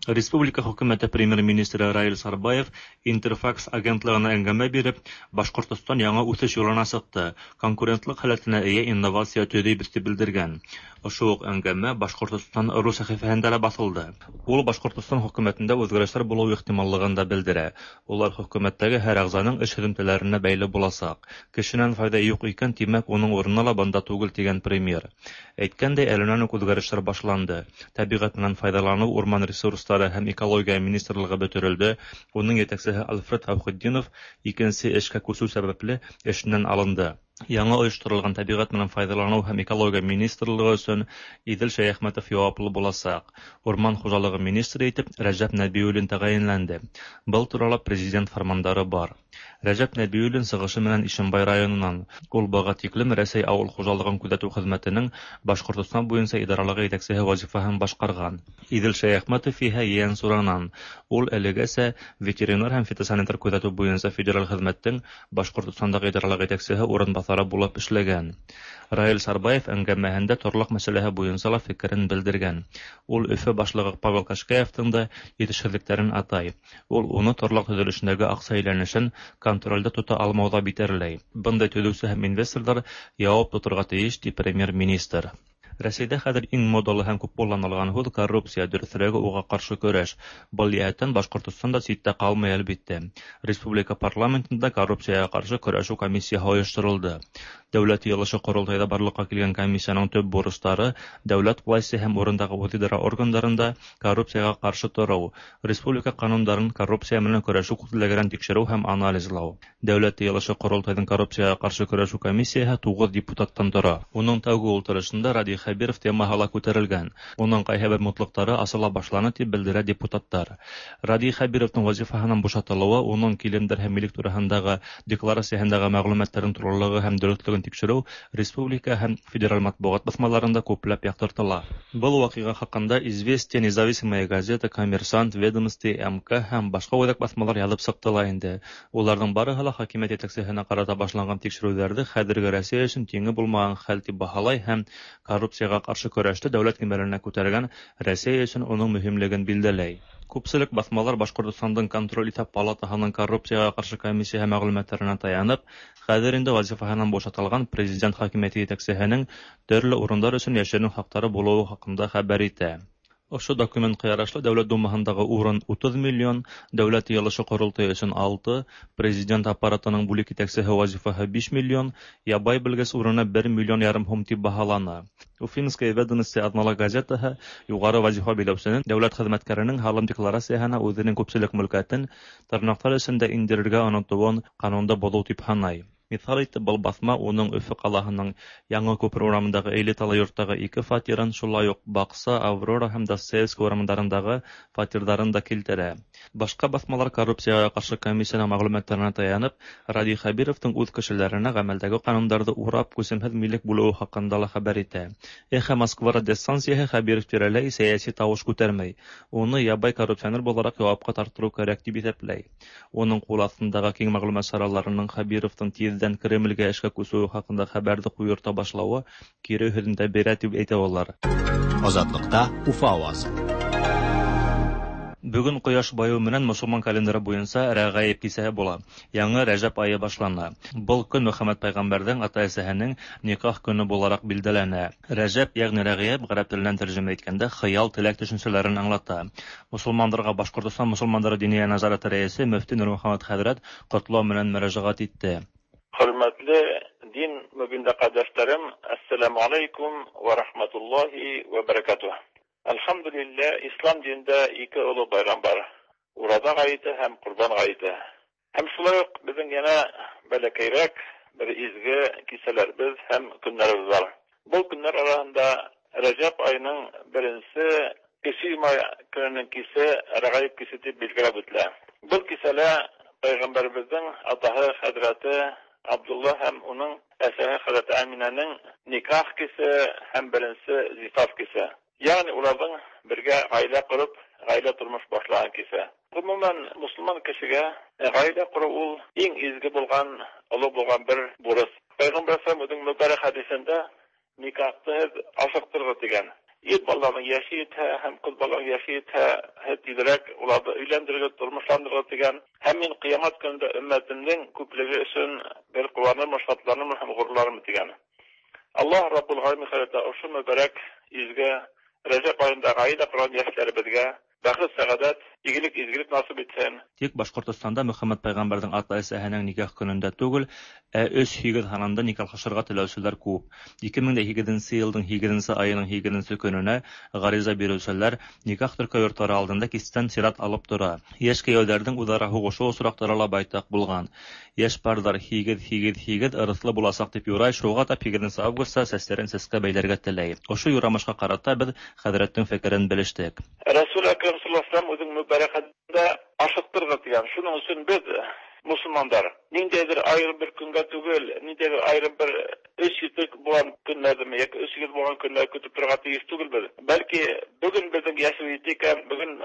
Республика хөкүмәте премьер-министры Раил Сарбаев Интерфакс агентлыгына әңгәмә биреп, Башкортстан яңа үсеш юлына чыкты, конкурентлык халәтенә ия инновация төзибез дип белдергән. Ошо ук әңгәмә Башкортстан ру сәхифәһендә лә басылды. Ул Башкортстан хөкүмәтендә үзгәрешләр булу ихтималлыгын да белдерә. Улар хөкүмәттәге һәр әгъзаның эш һөҙөмтәләренә бәйле буласак. Кешенән файда юк икән, тимәк, уның урыны ла бында түгел дигән премьер. Әйткәндәй, әленән үк үзгәрешләр башланды. Тәбиғәт менән файдаланыу, урман ресурслары һәм экология министрлыгы бөтөрөлдө. Уның етәксеһе Альфред Әүхетдинов икенсе эшкә күсеү сәбәпле эшеннән алынды. Яңа ойошторолған тәбиғәт менән файҙаланыу һәм экология министрлыгы өсөн Иҙел Шәйәхмәтов яуаплы буласаҡ. Урман хужалығы министры итеп Рәжәп Нәбиуллин тәғәйенләнде. Был турала президент фармандары бар. Рәжәп Нәбиуллин сығышы менән Ишембай районынан. Ул быға тиклем Рәсәй ауыл хужалығын күҙәтеү хеҙмәтенең Башҡортостан буйынса идаралығы етәксеһе вазифаһын башҡарған. Иҙел Шәйәхмәтов иһә Ейәнсуранан. Ул әлегәсә ветеринар һәм фитосанитар күҙәтеү буйынса федераль хеҙмәттең Башҡортостандағы идаралыҡ етәксеһе урынбаҫары булып эшләгән. Раил Сарбаев әңгәмәһендә торлаҡ мәсьәләһе буйынса ла фекерен белдергән. Ул Өфө башлығы Павел Кашкаевтың да етешһеҙлектәрен атай. Ул уны торлаҡ төҙөлөшөндәге аҡса әйләнешен контролдә тота алмауҙа битәрләй. Бындай төҙөүсе һәм инвесторҙар яуап тоторға тейеш, ти премьер-министр. Рәсәйҙә хәҙер иң модалы һәм күп ҡулланылған һүҙ коррупция, дөрөҫөрәге уға ҡаршы көрәш. Был йәһәттән Башҡортостан да ситтә ҡалмай, әлбиттә. Республика парламентында коррупцияға ҡаршы көрәшеү комиссияһы ойошторолдо. Дәүләт йыйылышы ҡоролтайҙа барлыҡҡа килгән комиссияның төп бурыстары дәүләт власти һәм урындағы үҙ-идара органдарында коррупцияға ҡаршы тороу, республика ҡанундарын коррупция менән көрәшеү күҙлегенән тикшереү һәм анализлау. Дәүләт йыйылышы ҡоролтайҙың коррупцияға ҡаршы көрәшеү комиссияһы туғыҙ депутаттан тора. Уның тәүге ултырышында Радий Хәбиров темаһы ла күтәрелгән. Уның ҡайһы бер мутлыҡтары асыла башланы тип белдерә депутаттар. Радий Хәбировтың вазифаһынан бушатылыуы уның килемдәр һәм милек тураһындағы декларацияһындағы мәғлүмәттәрҙең тулылығы һәм дөрөҫлөгөн тикшереү республика һәм федераль матбуғат баҫмаларында күпләп яҡтыртыла. Был ваҡиға хаҡында Известия, Независимая газета, Коммерсант, Ведомости, М К һәм башҡа үҙәк баҫмалар яҙып сыҡты ла инде. Уларҙың барыһы ла хакимиәт етәксеһенә ҡарата башланған тикшереүҙәрҙе хәҙерге Рәсәй өсөн тиңе булмаған хәл тип баһалай һәм коррупцияға ҡаршы көрәште дәүләт кимәленә күтәргән Рәсәй өсөн уның мөһимлеген билдәләй. Күпселек баҫмалар Башҡортостандың контроль иҫәп палатаһының коррупцияға ҡаршы комиссияһы мәғлүмәттәренә таянып, хәҙер инде вазифаһынан бушатылған президент хакимиәте етәксеһенең төрлө урындар өсөн йәшерен хаҡтары булыуы хаҡында хәбәр итә. Ошо документҡа ярашлы Дәүләт Думаһындағы урын утыҙ миллион, Дәүләт йыйылышы ҡоролтайы өсөн алты, президент аппаратының бүлек етәксеһе вазифаһы биш миллион, ябай белгес урыны бер миллион ярым һум тип баһалана. Уфимская ведомости аҙнала газетаһы юғары вазифа биләүсенең дәүләт хеҙмәткәренең һалым декларацияһына үҙенең күпселек мөлкәтен тырнаҡтар эсендә индерергә онотоуын ҡанунды боҙоу тип һанай. Миҫал итеп, был баҫма уның Өфө ҡалаһының Яңы Күпер урамындағы элиталы йорттағы ике фатирын, шулай уҡ Баҡса, Аврора һәм Достоевский урамдарындағы фатирҙарын да килтерә. Башҡа баҫмалар коррупцияға ҡаршы комиссияның мәғлүмәттәренә таянып, Радий Хәбировтың үҙ кешеләренә ғәмәлдәге ҡанундарҙы урап күсемһеҙ милек бүлеүе хаҡында ла хәбәр итә. Эхо Москва радиостанцияһы Хәбиров тирәләй сәйәси тауыш күтәрмәй, уны ябай коррупционер булараҡ яуапҡа тартырыу кәрәк тип иҫәпләй. Уның ҡул аҫтындағы киң мәғлүмәт сараларының Хәбировтың тиҙ Кремлгә эшкә күсеүе хаҡында хәбәрҙе ҡуйырта башлауы кире һөҙөмтә бирә тип әйтә улар. Азатлыҡта Уфа ауазы. Бөгөн ҡояш байыуы менән мосолман календары буйынса Рәғәйеп кисәһе була. Яңы Рәжәп айы башлана. Был көн Мөхәммәт пәйғәмбәрҙең ата-әсәһенең никах көнө булараҡ билдәләнә. Рәжәп, йәғни Рәғәйеп, ғәрәп теленән тәржемә иткәндә хыял, теләк төшөнсәләрен аңлата. Мосолмандарға Башҡортостан мосолмандары диния назараты рәйесе мөфти Нурмөхәммәт хәҙрәт ҡотлау менән мөрәжәғәт итте. Хөрмәтле Дин мөбиндә кардәшләрем, ассаламу алейкум ва рахматуллахи ва баракатуh. Әлхәмдүлилләһ, ислам динендә ике олы байрам бар. Ураза гаете һәм Корбан гаете. Һәм шулай ук безнең янә бәләкәйрәк бер изге кисәләребез һәм көннәребез бар. Бу көннәр арасында Рәҗәб аеның беренче кече йома көненең кисе Рәгаиб кисе дип билгеләп үтелә. Бу кисәлә Пәйгамбәребезнең атаһы хәзрәте Абдулла һәм уның әсәһе хәзрәте Әминәнең никах кисе һәм беренче зифаф кисе. Ягъни уларның бергә гаилә корып, гаилә тормыш башлаган кисе. Гомумән, мусульман кешегә гаилә кору ул иң изге булган, олы булган бер бурыч. Пәйгамбәр саллаллаһу алейһи мөбарәк хәдисендә никахты ашыктыргыз дигән. Ир балаларның яше җитә һәм кыз балаларның яше җитә, тизрәк уларны өйләндерергә, тормышландырырга дигән. Һәм мин кыямәт көнендә өммәтемнең күплеге өчен бер куанырмын, шатланырмын һәм горурланырмын дигән. Аллаһ Раббул Галәмин хәзрәте ошо мөбарәк изге Рәҗәб аенда гаилә корган яшьләребезгә бәхет, сәгадәт, игелек, изгелек насыйп итсен. Тик Башкортостанда Мөхәммәд пәйгамбәрнең ата-әсәһенең никах көнендә түгел, ә өч һигез һанында никахлашырга теләүчеләр күп. ике мең дә һигезенче елның һигезенче аеның һигезенче көненә гариза бирүчеләр никах теркәү йортлары алдында кичтән чират алып тора. Яшь кияүләрнең үзара һугышу очраклары ла байтак булган. Яшь парлар һигез һигез һигез ырыслы булачак дип юрай, шуга та һигезенче августта сәсләрен сәскә бәйләргә теләй. Ошо юрамышка карата без хәзрәтнең фикерен белештек. Рәсүл Әкрәм саллаллаһу алейһи ва сәлләм үзенең мөбарәк хәдисендә ашыктыргыз дигән. Шуның өчен без мусульмандар ниндәйдер аерым бер көнгә түгел, ниндәйдер аерым бер өч йөзлек булган көннәрдеме яки өч йөз булган көннәр көтеп торырга тиеш түгелбез. Бәлки бүген безнең яшебез җитте икән, бүген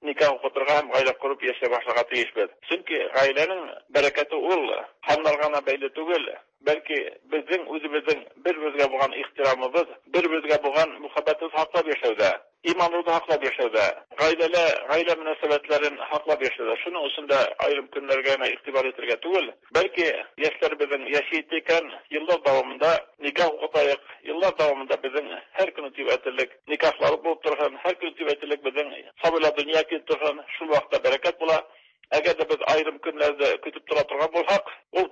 никах укытырга һәм гаилә корып яшәй башларга тиешбез. Чөнки гаиләнең бәрәкәте ул ханнарга гына бәйле түгел, бәлки безнең үзебезнең бер-беребезгә булган ихтирамыбыз, бер-беребезгә булган мөхәббәтебез һаклап яшәүдә, иманыбызны һаклап яшәүдә, гаиләлә, гаилә мөнәсәбәтләрен һаклап яшәүдә. Шуның өчен дә аерым көннәргә генә игътибар итәргә түгел, бәлки яшьләребезнең яше җитте икән, еллар дәвамында никах укытайык, еллар дәвамында безнең һәр көн дип әйтерлек никахлар булып торсын, һәр көн дип әйтерлек безнең сабыйлар дөнья килеп торсын, шул вакытта бәрәкәт була. Әгәр дә без аерым көннәрдә көтеп тора торган булсак, ул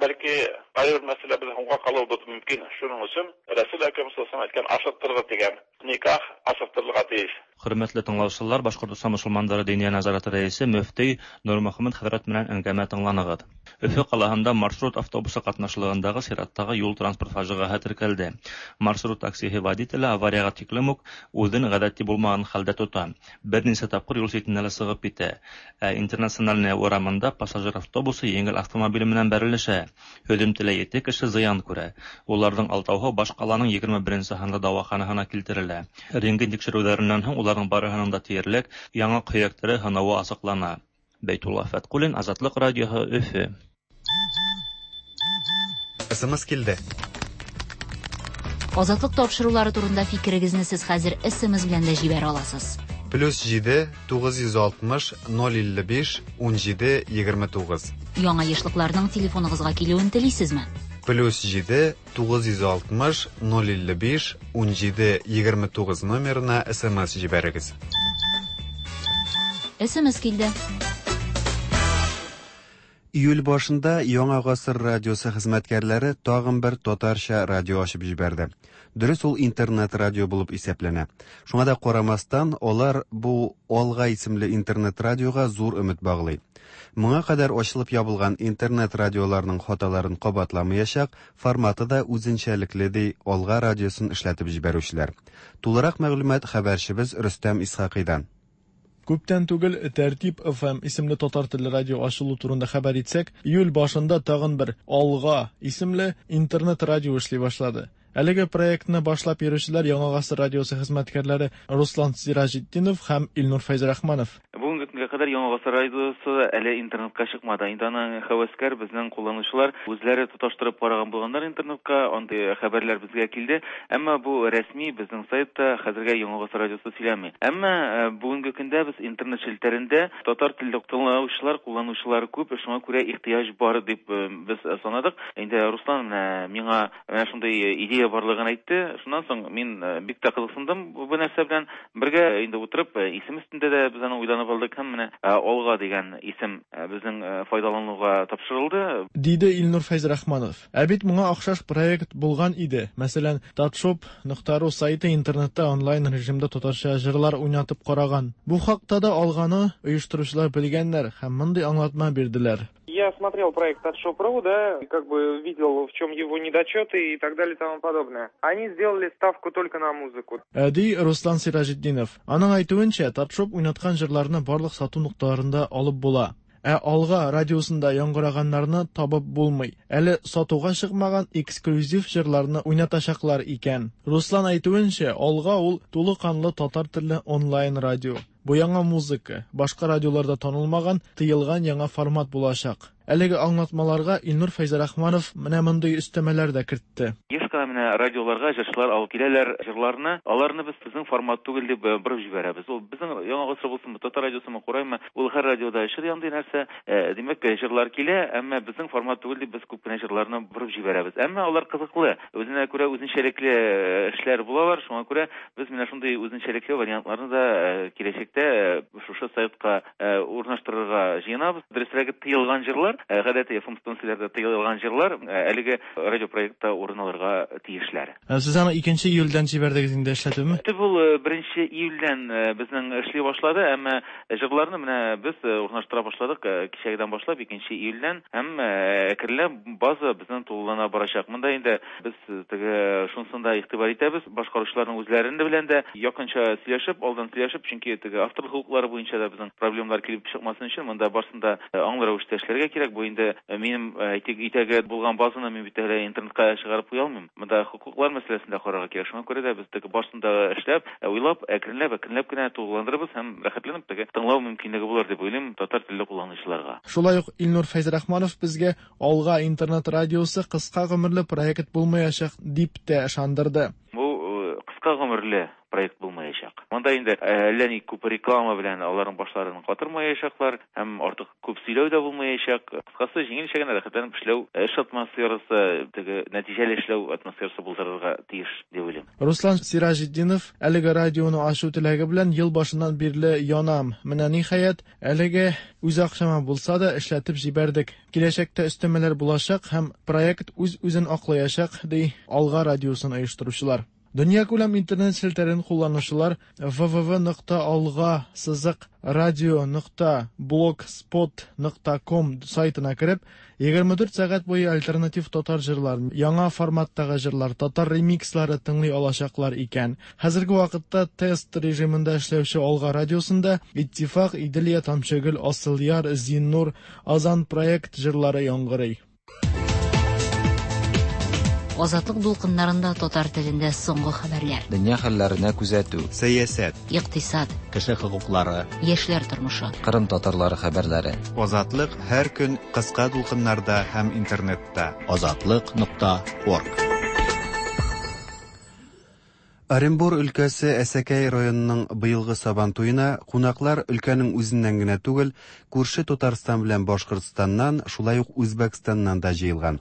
бәлки аерым мәсьәлә безнең һуңга калуыбыз мөмкин. Шуның өчен Рәсүл Әкрәм саллаллаһу алейһи ва сәлләм әйткән ашыктыргыз дигән никах ашыктырылырга тиеш. Хөрмәтле тыңлаучылар, Башкортостан мусульманнары диния назараты рәисе мөфти Нурмөхәммәт хәзрәт белән әңгәмә тыңланыгыз. Өфө калаһында маршрут автобусы катнашлыгындагы чираттагы юл транспорт фаҗигаһы теркәлде. Маршрут таксиһы водителе аварияга тиклем үк үзен гадәти булмаган хәлдә тота. Берничә тапкыр юл читенә лә чыгып китә. Ә Интернациональная урамында пассажир автобусы җиңел автомобиле белән бәрелешә. Һөҗүмтелә ете кеше зыян күрә. Уларның алтауһы баш каланың егерме беренче һанлы дәваханасына килтерелә. Рентген тикшерүләреннән һуң уларның барыһының да тиярлек яңак һөякләре һынавы асыклана. Бәйтулла Фәткуллин, Азатлык радиоһы, Өфө. СМС килде. Азатлык тапшырулары турында фикерегезне сез хәзер СМС белән дә җибәрә аласыз. Плюс җиде, тугыз йөз алтмыш, ноль илле биш, ун җиде, егерме тугыз. Яңа ешлыкларның телефоныгызга килүен телисезме? Плюс җиде, тугыз йөз алтмыш, ноль илле биш, ун җиде, егерме тугыз номерына СМС җибәрегез. СМС килде. Июль башында Яңа Гасыр радиосы хезмәткәрләре тагын бер татарча радио ачып җибәрде. Дөрес, ул интернет радио булып исәпләнә. Шуңа да карамастан, алар бу Алга исемле интернет радиога зур өмет баглый. Моңа кадәр ачылып ябылган интернет радиоларның хаталарын кабатламаячак, форматы да үзенчәлекле, ди Алга радиосын эшләтеп җибәрүчеләр. Тулырак мәгълүмат хәбәрчебез Рөстәм Исхакыйдан. Күптән түгел Тәртип эф эм исемле татар телле радио ачылу турында хәбәр итсәк, июль башында тагын бер Алга исемле интернет радио эшли башлады. Әлеге проектны башлап йөрүчеләр Яңа Гасыр радиосы хезмәткәрләре Руслан Сираҗетдинов һәм Илнур Фәйзрахманов. Бүгенге көнгә кадәр Яңа Гасыр радиосы әле интернетка чыкмады. Инде аны һәвәскәр безнең кулланучылар үзләре тоташтырып караган булганнар интернетка, андый хәбәрләр безгә килде. Әмма бу рәсми безнең сайтта хәзергә Яңа Гасыр радиосы сөйләми. Әмма, э, бүгенге көндә без интернет челтәрендә татар телле тыңлаучылар, кулланучылар күп, шуңа күрә ихтыяҗ бар дип, э, без санадык. Инде Руслан менә миңа менә шундый идея барлыгын әйтте. Шуннан соң мин, э, бик тә кызыксындым бу нәрсә белән. Бергә инде утырып, э, исем өстендә дә без аны уйланып алдык һәм Һәм менә Алга дигән исем безнең файдалануга тапшырылды. Диде Илнур Фәйзрахманов. Ә бит моңа охшаш проект булган иде. Мәсәлән, татшоп нокта ру сайты интернетта онлайн режимда татарча җырлар уйнатып караган. Бу хакта да Алганы оештыручылар белгәннәр һәм мондый аңлатма бирделәр. Я смотрел проект татшоп точка ру, да, и как бы видел, в чем его недочеты и так далее и тому подобное. Они сделали ставку только на музыку. Ди Руслан Сираҗетдинов. Аның әйтүенчә, Татшоп уйнаткан җырларны барлык сату нокталарында алып була. Ә Алга радиосында яңгыраганнарны табып булмый. Әле сатуга чыкмаган эксклюзив җырларны уйнатачаклар икән. Руслан әйтүенчә, Алга ул тулы канлы татар телле онлайн радио. Бу яңа музыка, башка радиоларда танылмаган, тыелган яңа формат булачак. Әлеге аңлатмаларга Илнур Фәйзрахманов менә мондый өстәмәләр дә кертте. Еш кына менә радиоларга җырчылар алып киләләр җырларны, аларны без безнең формат түгел дип борып җибәрәбез. Ул безнең яңа гасыр булсынмы, татар радиосымы, кураймы, ул һәр радиода эшли андый нәрсә. Димәк, җырлар килә, әмма безнең формат түгел дип без күп кенә җырларны борып җибәрәбез. Әмма алар кызыклы, үзенә күрә үзенчәлекле эшләр булалар. Шуңа күрә без менә шундый үзенчәлекле вариантларны да киләчәктә шушы сайтка урнаштырырга җыенабыз. Дөресрәге, тыелган җырлар, гадәти эф эм станцияләрдә тыелган җырлар әлеге радио проектта урын алырга тиешләр. Сез аны икенче июльдән җибәрдегез инде эшләтүме? Төп ул беренче июльдән безнең эшли башлады, әмма җырларны менә без урнаштыра башладык кичәгедән башлап икенче июльдән, һәм әкренләп база безнең тулылана барачак. Монда инде без теге шунысын да игътибар итәбез, башкаручыларның үзләрен дә белән дә якынча сөйләшеп, алдан сөйләшеп, чөнки теге авторлык хокуклары буенча да безнең проблемалар килеп чыкмасын өчен монда барысын да аңлы рәвештә эшләргә кирәк. Бу инде минем итәге булган базаны мин бит әле интернетка чыгарып куя алмыйм. Монда хокуклар мәсьәләсен дә карарга кирәк. Шуңа күрә дә без теге барысын да эшләп, уйлап, әкренләп, әкренләп кенә тулыландырабыз һәм рәхәтләнеп теге тыңлау мөмкинлеге булыр дип уйлыйм татар телле кулланучыларга. Шулай ук Илнур Фәйзрахманов безгә Алга интернет радиосы кыска гомерле проект булмаячак дип тә ышандырды. Бу кыска гомерле проект булмаячак. Монда инде әллә ни күп реклама белән аларның башларын катырмаячаклар һәм артык күп сөйләү дә булмаячак. Кыскасы, җиңелчә генә рәхәтләнеп эшләү, эш атмосферасы, теге нәтиҗәле эшләү атмосферасы булдырырга тиеш дип уйлыйм. Руслан Сираҗетдинов әлеге радионы ачу теләге белән ел башыннан бирле янам. Менә ниһаять, әлеге үз акчама булса да эшләтеп җибәрдек. Киләчәктә өстәмәләр булачак һәм проект үз-үзен аклаячак, ди Алга радиосын оештыручылар. Дөньякүләм интернет челтәрен кулланучылар вэ вэ вэ нокта алга сызык радио нокта блогспот нокта ком сайтына кереп, егерме дүрт сәгать буе альтернатив татар җырларын, яңа форматтагы җырлар, татар ремикслары тыңлый алачаклар икән. Хәзерге вакытта тест режимында эшләүче Алга радиосында Иттифак, Иделия, Тамчыгөл, Асылъяр, Зиннур, Азан проект җырлары яңгырый. Азатлык дулкыннарында татар телендә соңгы хәбәрләр. Дөнья хәлләренә күзәтү. Сәясәт. Икътисад. Кеше хокуклары. Яшьләр тормышы. Кырым татарлары хәбәрләре. Азатлык һәр көн кыска дулкыннарда һәм интернетта. Азатлык нокта орг. Оренбур өлкәсе Әсәкәй районының быелгы Сабан туена кунаклар өлкәнең үзеннән генә түгел, күрше Татарстан белән Башкортстаннан, шулай ук Үзбәкстаннан да җыелган.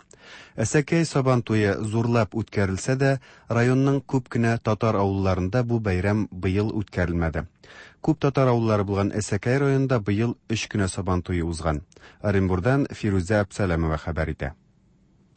Әсәкәй Сабан туе зурлап үткәрелсә дә, районның күп кенә татар авылларында бу бәйрәм быел үткәрелмәде. Күп татар авыллары булган Әсәкәй районында быел өч кенә Сабан туе узган. Оренбурдан Фирүзә Әбсәләмова хәбәр итә.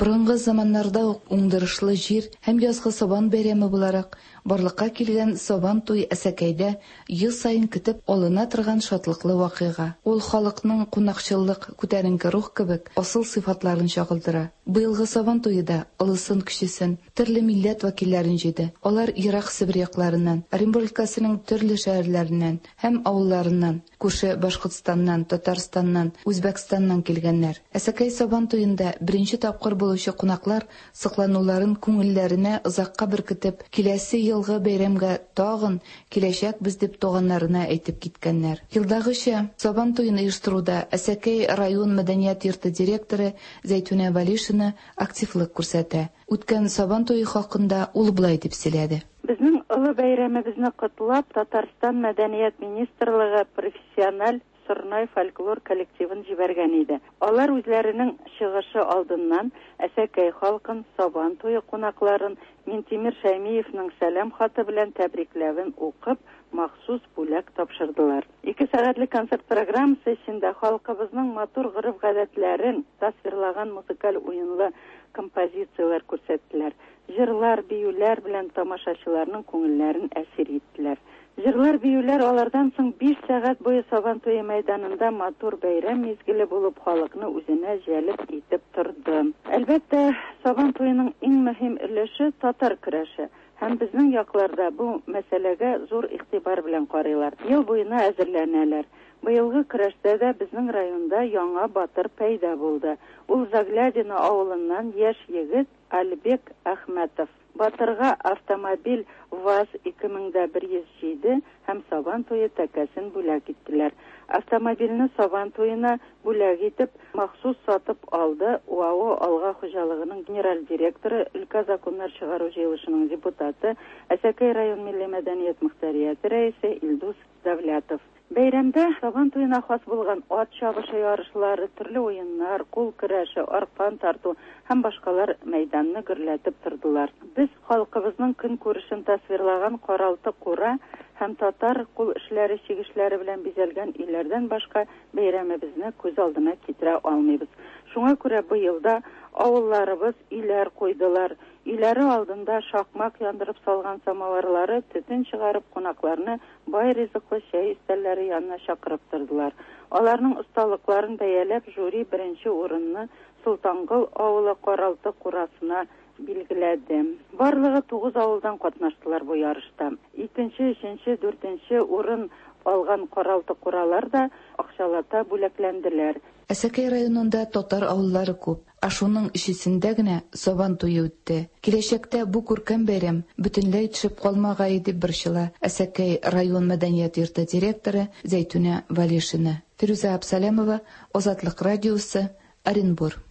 Борынгы заманнарда ук уңдырышлы җир һәм язгы сабан бәйрәме буларак барлыкка килгән Сабан туй Әсәкәйдә ел саен көтеп алына торган шатлыклы вакыйга. Ул халыкның кунакчыллык, күтәренке рух кебек асыл сыйфатларын чагылдыра. Быелгы Сабан туе да олысын кечесен, төрле милләт вәкилләрен җыйды. Алар ерак Себер якларыннан, Оренбур өлкәсенең төрле шәһәрләреннән һәм авылларыннан, күрше Башкортстаннан, Татарстаннан, Үзбәкстаннан килгәннәр. Әсәкәй Сабан туенда беренче тапкыр булучы кунаклар соклануларын күңелләренә озакка беркетеп, киләсе елгы бәйрәмгә тагын киләчәкбез дип туганнарына әйтеп киткәннәр. Елдагыча Сабан туен оештыруда Әсәкәй район мәдәният йорты директоры Зәйтүнә Валишина активлык күрсәтә. Үткән Сабан туе хакында ул болай дип сөйләде. Безнең олы бәйрәмебезне котлап, Татарстан мәдәният министрлыгы профессиональ Сорнай фольклор коллективын җибәргән иде. Алар үзләренең чыгышы алдыннан Әсәкәй халкын, Сабан туе кунакларын Минтимер Шәймиевның сәлам хаты белән тәбрикләвен укып, махсус бүләк тапшырдылар. Ике сәгатьлек концерт программасы эчендә халкыбызның матур гореф-гадәтләрен тасвирлаган музыкаль уенлы композицияләр күрсәттеләр. Җырлар, биюләр белән тамашачыларның күңелләрен әсир иттеләр. Җырлар, биюләр алардан соң биш сәгать буе Сабан туе мәйданында матур бәйрәм мизгеле булып халыкны үзенә җәлеп итеп торды. Әлбәттә, Сабан туеның иң мөһим өлеше татар көрәше. Һәм безнең якларда бу мәсьәләгә зур игътибар белән карыйлар. Ел буена әзерләнәләр. Быелгы көрәштә дә безнең районда яңа батыр пәйда булды. Ул Заглядино авылыннан яшь егет Альбек Әхмәтов. Батырга автомобиль ВАЗ ике мең дә бер йөз җиде һәм Сабан туе тәкәсен бүләк иттеләр. Автомобильне Сабан туена бүләк итеп махсус сатып алды УАО Алга хуҗалыгының генераль директоры, өлкә законнар чыгару җыелышының депутаты, Әсәкәй район милли мәдәният мөхтәрияте рәисе Илдус Давлятов. Бәйрәмдә Сабан туена хас булган ат чабышы ярышлары, төрле уеннар, кул көрәше, аркан тарту һәм башкалар мәйданны гөрләтеп тордылар. Без халкыбызның көн күрешен тасвирлаган каралты кура һәм татар кул эшләре чигешләре белән бизәлгән өйләрдән башка бәйрәмебезне күз алдына китерә алмыйбыз. Шуңа күрә быелда авылларыбыз өйләр куйдылар. Өйләре алдында шакмак яндырып салган самавырлары төтен чыгарып кунакларны бай ризыклы чәй өстәлләре янына чакырып тордылар. Аларның осталыкларын бәяләп жюри беренче урынны Солтангол авылы каралты курасына билгеләде. Барлыгы тугыз авылдан катнаштылар бу ярышта. Икенче, өченче, дүртенче урын алган каралты куралар да акчалата бүләкләнделәр. Әсәкәй районында татар авыллары күп, ә шуның өчесендә генә Сабан туе үтте. Киләчәктә бу күркәм бәйрәм бөтенләй төшеп калмагай дип борчыла Әсәкәй район мәдәният йорты директоры Зәйтүнә Валишина. Фирүзә Абсалямова, Азатлык радиосы, Оренбур.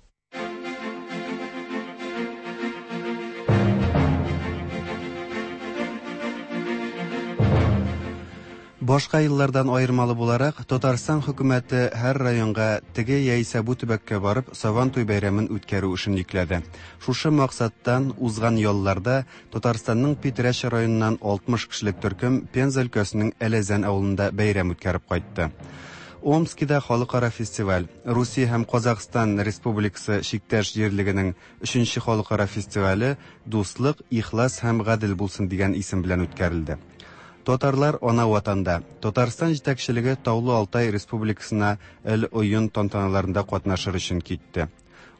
Башка еллардан аермалы буларак, Татарстан хөкүмәте һәр районга теге яисә бу төбәккә барып Сабан туй бәйрәмен үткәрү эшен йөкләде. Шушы максаттан узган ялларда Татарстанның Питрәч районыннан алтмыш кешелек төркем Пенза өлкәсенең Әләзән авылында бәйрәм үткәреп кайтты. Омскида халыкара фестиваль, Русия һәм Казахстан Республикасы чиктәш җирлегенең өченче халыкара фестивале Дуслык, ихлас һәм гадел булсын дигән исем белән үткәрелде. Татарлар ана ватанда. Татарстан җитәкчелеге Таулы Алтай Республикасына эл ойын тантаналарында катнашыр өчен китте.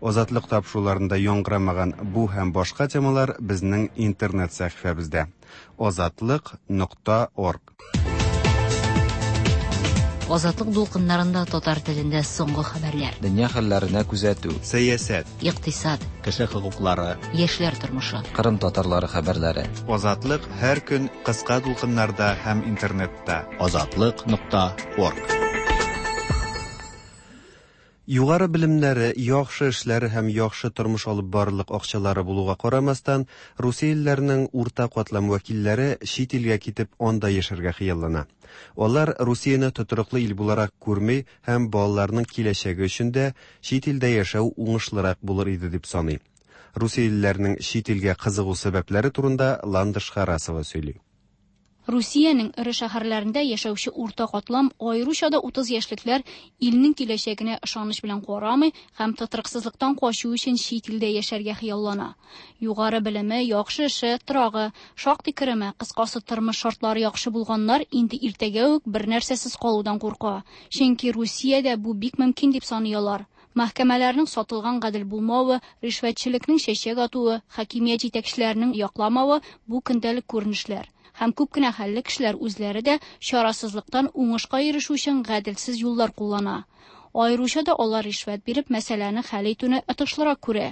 Азатлык тапшыруларында яңгырамаган бу һәм башка темалар безнең интернет сәхифәбездә. азатлык нокта орг. Азатлык дулкыннарында татар телендә соңгы хәбәрләр. Дөнья хәлләренә күзәтү. Сәясәт, икътисад, кеше хокуклары, яшьләр тормышы. Кырым татарлары хәбәрләре. Азатлык һәр көн кыска дулкыннарда һәм интернетта. азатлык нокта орг. Югары белемнәре, яхшы эшләре һәм яхшы тормыш алып барырлык акчалары булуга карамастан, Русиялеләрнең урта катлам вәкилләре чит илгә китеп анда яшәргә хыяллана. Алар Русияне тотрыклы ил буларак күрми һәм балаларның киләчәге өчен дә чит илдә яшәү уңышлырак булыр иде дип саный. Русиялеләрнең чит илгә кызыгу сәбәпләре турында Ландыш Харасова сөйли. Русиянең эре шәһәрләрендә яшәүче урта катлам, аеруча да утыз яшьлекләр илнең киләчәгенә ышаныч белән карамый һәм тотрыксызлыктан качу өчен чит илдә яшәргә хыяллана. Югары белеме, яхшы эше, торагы, шактый кереме, кыскасы тормыш шартлары яхшы булганнар инде иртәгә үк бер нәрсәсез калудан курка. Чөнки Русиядә бу бик мөмкин дип саный алар. Мәхкәмәләрнең сатылган гадел булмавы, ришвәтчелекнең чәчәк атуы, хакимият җитәкчеләренең якламавы бу көндәлек күренешләр. Һәм күп кенә хәлле кешеләр үзләре дә чарасызлыктан уңышка ирешү өчен гаделсез юллар куллана. Аеруча да алар ришвәт биреп мәсьәләне хәл итүне отышлырак күрә.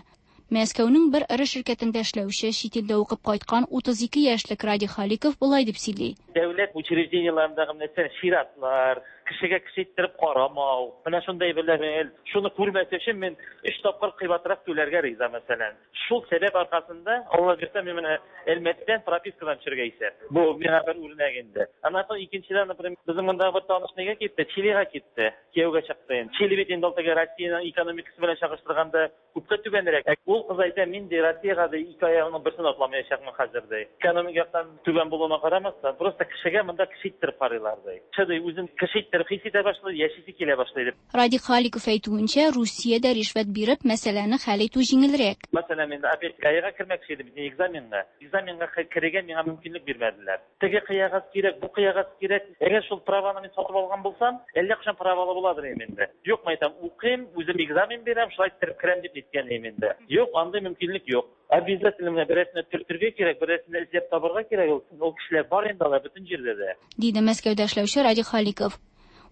Мәскәүнең бер эре ширкәтендә эшләүче, чит илдә укып кайткан утыз ике яшьлек Ради Халиков болай дип сөйли. дәүләт учреждениеләрендәге мәсәлән чиратлар, кешегә кеше иттереп карамау, менә шундай әйберләр, шуны күрмәс өчен мин өч тапкыр кыйбатрак түләргә риза мәсәлән. Шул сәбәп аркасында Алла бирсә мин менә Әлмәттән пропискадан төшергә исәп. Бу миңа бер үрнәк инде. Аннан соң икенчедән, например, безнең монда бер таныш нигә китте? Чилига китте. Кияүгә чыкты инде. Чили бит инде ул теге Россиянең экономикасы белән чагыштырганда күпкә түбәнрәк. Ул кыз әйтә, мин ди Россиягә ди ике аягымның берсен атламаячакмын хәзер ди. Экономик яктан түбән булуына карамастан, просто кешегә монда кеше иттереп карыйлар ди. Кеше ди үзен кеше иттереп хис итә башлый, яшисе килә башлый дип. Радик Халиков әйтүенчә, Русиядә ришвәт биреп мәсьәләне хәл итү җиңелрәк. Мәсәлән, мин опять ГАИга кермәкче идем, экзаменга. Экзаменга керергә миңа мөмкинлек бирмәделәр. Теге кыягаз кирәк, бу кыягаз кирәк. Әгәр шул праваны мин сатып алган булсам, әллә кайчан правалы буладыр инде. Юк, мен әйтәм, укыйм, үзем экзамен бирәм, шулай иттереп керәм дип әйткән идем инде. Юк, андый мөмкинлек юк. Обязательно менә берәрсенә төртергә кирәк, берәрсенә эзләп табырга кирәк. Ул, ул кешеләр бар инде алар бөтен җирдә дә. Диде Мәскәүдә эшләүче Радик Халиков.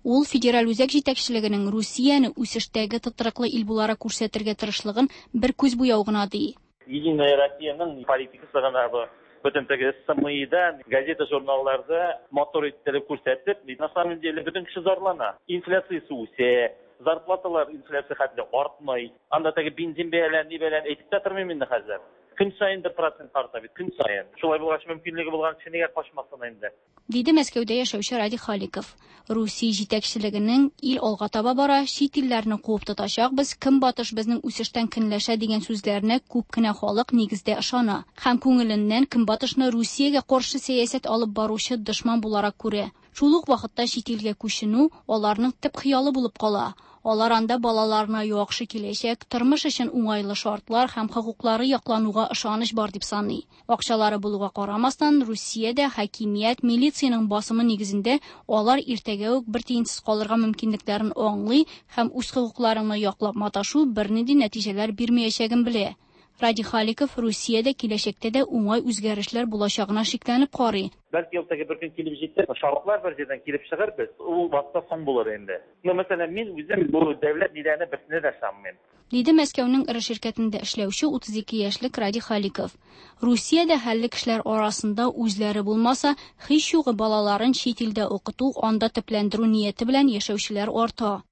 Ул федераль үзәк җитәкчелегенең Русияне үсештәге тотрыклы ил буларак күрсәтергә тырышлыгын бер күз буяу гына ди. Единая Россияның политикасы гына бу. Бөтен теге СМИда, газета, журналларда мотор иттереп күрсәтеп, на самом деле бөтен кеше зарлана. Инфляциясе үсә, зарплаталар инфляция хәтле артмый. Анда теге бензин бәяләрен, ни бәяләрен әйтеп тә тормыйм инде хәзер. Көн саен бер процент арта бит, көн саен. Шулай булгач мөмкинлеге булган кеше нигә качмасын инде? Диде Мәскәүдә яшәүче Радик Халиков. Русия җитәкчелегенең ил алга таба бара, чит илләрне куып тотачакбыз, көнбатыш безнең үсештән көнләшә дигән сүзләренә күп кенә халык нигездә ышана һәм күңеленнән көнбатышны Русиягә каршы сәясәт алып баручы дошман буларак күрә. Шул ук вакытта чит илгә күченү аларның төп хыялы булып кала. Алар анда балаларына яхшы киләчәк, тормыш өчен уңайлы шартлар һәм хокуклары яклануга ышаныч бар дип саный. Акчалары булуга карамастан, Русиядә хакимият, милициянең басымы нигезендә алар иртәгә үк бер тиенсез калырга мөмкинлекләрен аңлый һәм үз хокукларыңны яклап маташу бернинди нәтиҗәләр бирмәячәген белә. Радик Халиков Русиядә киләчәктә дә уңай үзгәрешләр булачагына шикләнеп карый. Бәлки ул теге бер көн килеп җитәр, шартлар бер җирдән килеп чыгар без, ул вакытта соң булыр инде. Ну, мәсәлән, мин үзем бу дәүләт ниләренә берсенә дә ышанмыйм. Диде Мәскәүнең эре ширкәтендә эшләүче утыз ике яшьлек Радик Халиков. Русиядә хәлле кешеләр арасында үзләре булмаса, һич югы балаларын чит илдә укыту, анда төпләндерү нияте белән яшәүчеләр арта.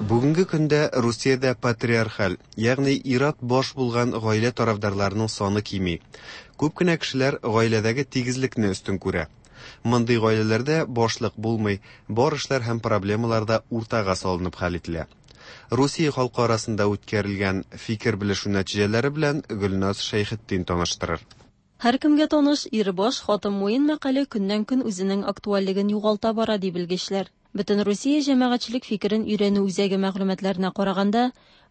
Бүгенге көндә Русиядә патриархаль, ягъни ир-ат баш булган гаилә тарафдарларының саны кими. Күп кенә кешеләр гаиләдәге тигезлекне өстен күрә. Мондый гаиләләрдә башлык булмый, бар эшләр һәм проблемалар да уртага салынып хәл ителә. Русия халкы арасында үткәрелгән фикер белешү нәтиҗәләре белән Гөлназ Шәйхетдин таныштырыр. Һәркемгә таныш ир баш, хатын муен мәкале көннән-көн үзенең актуальлеген югалта бара ди белгечләр. Бөтен Русия җәмәгатьчелек фикерен өйрәнү үзәге мәгълүматларына караганда,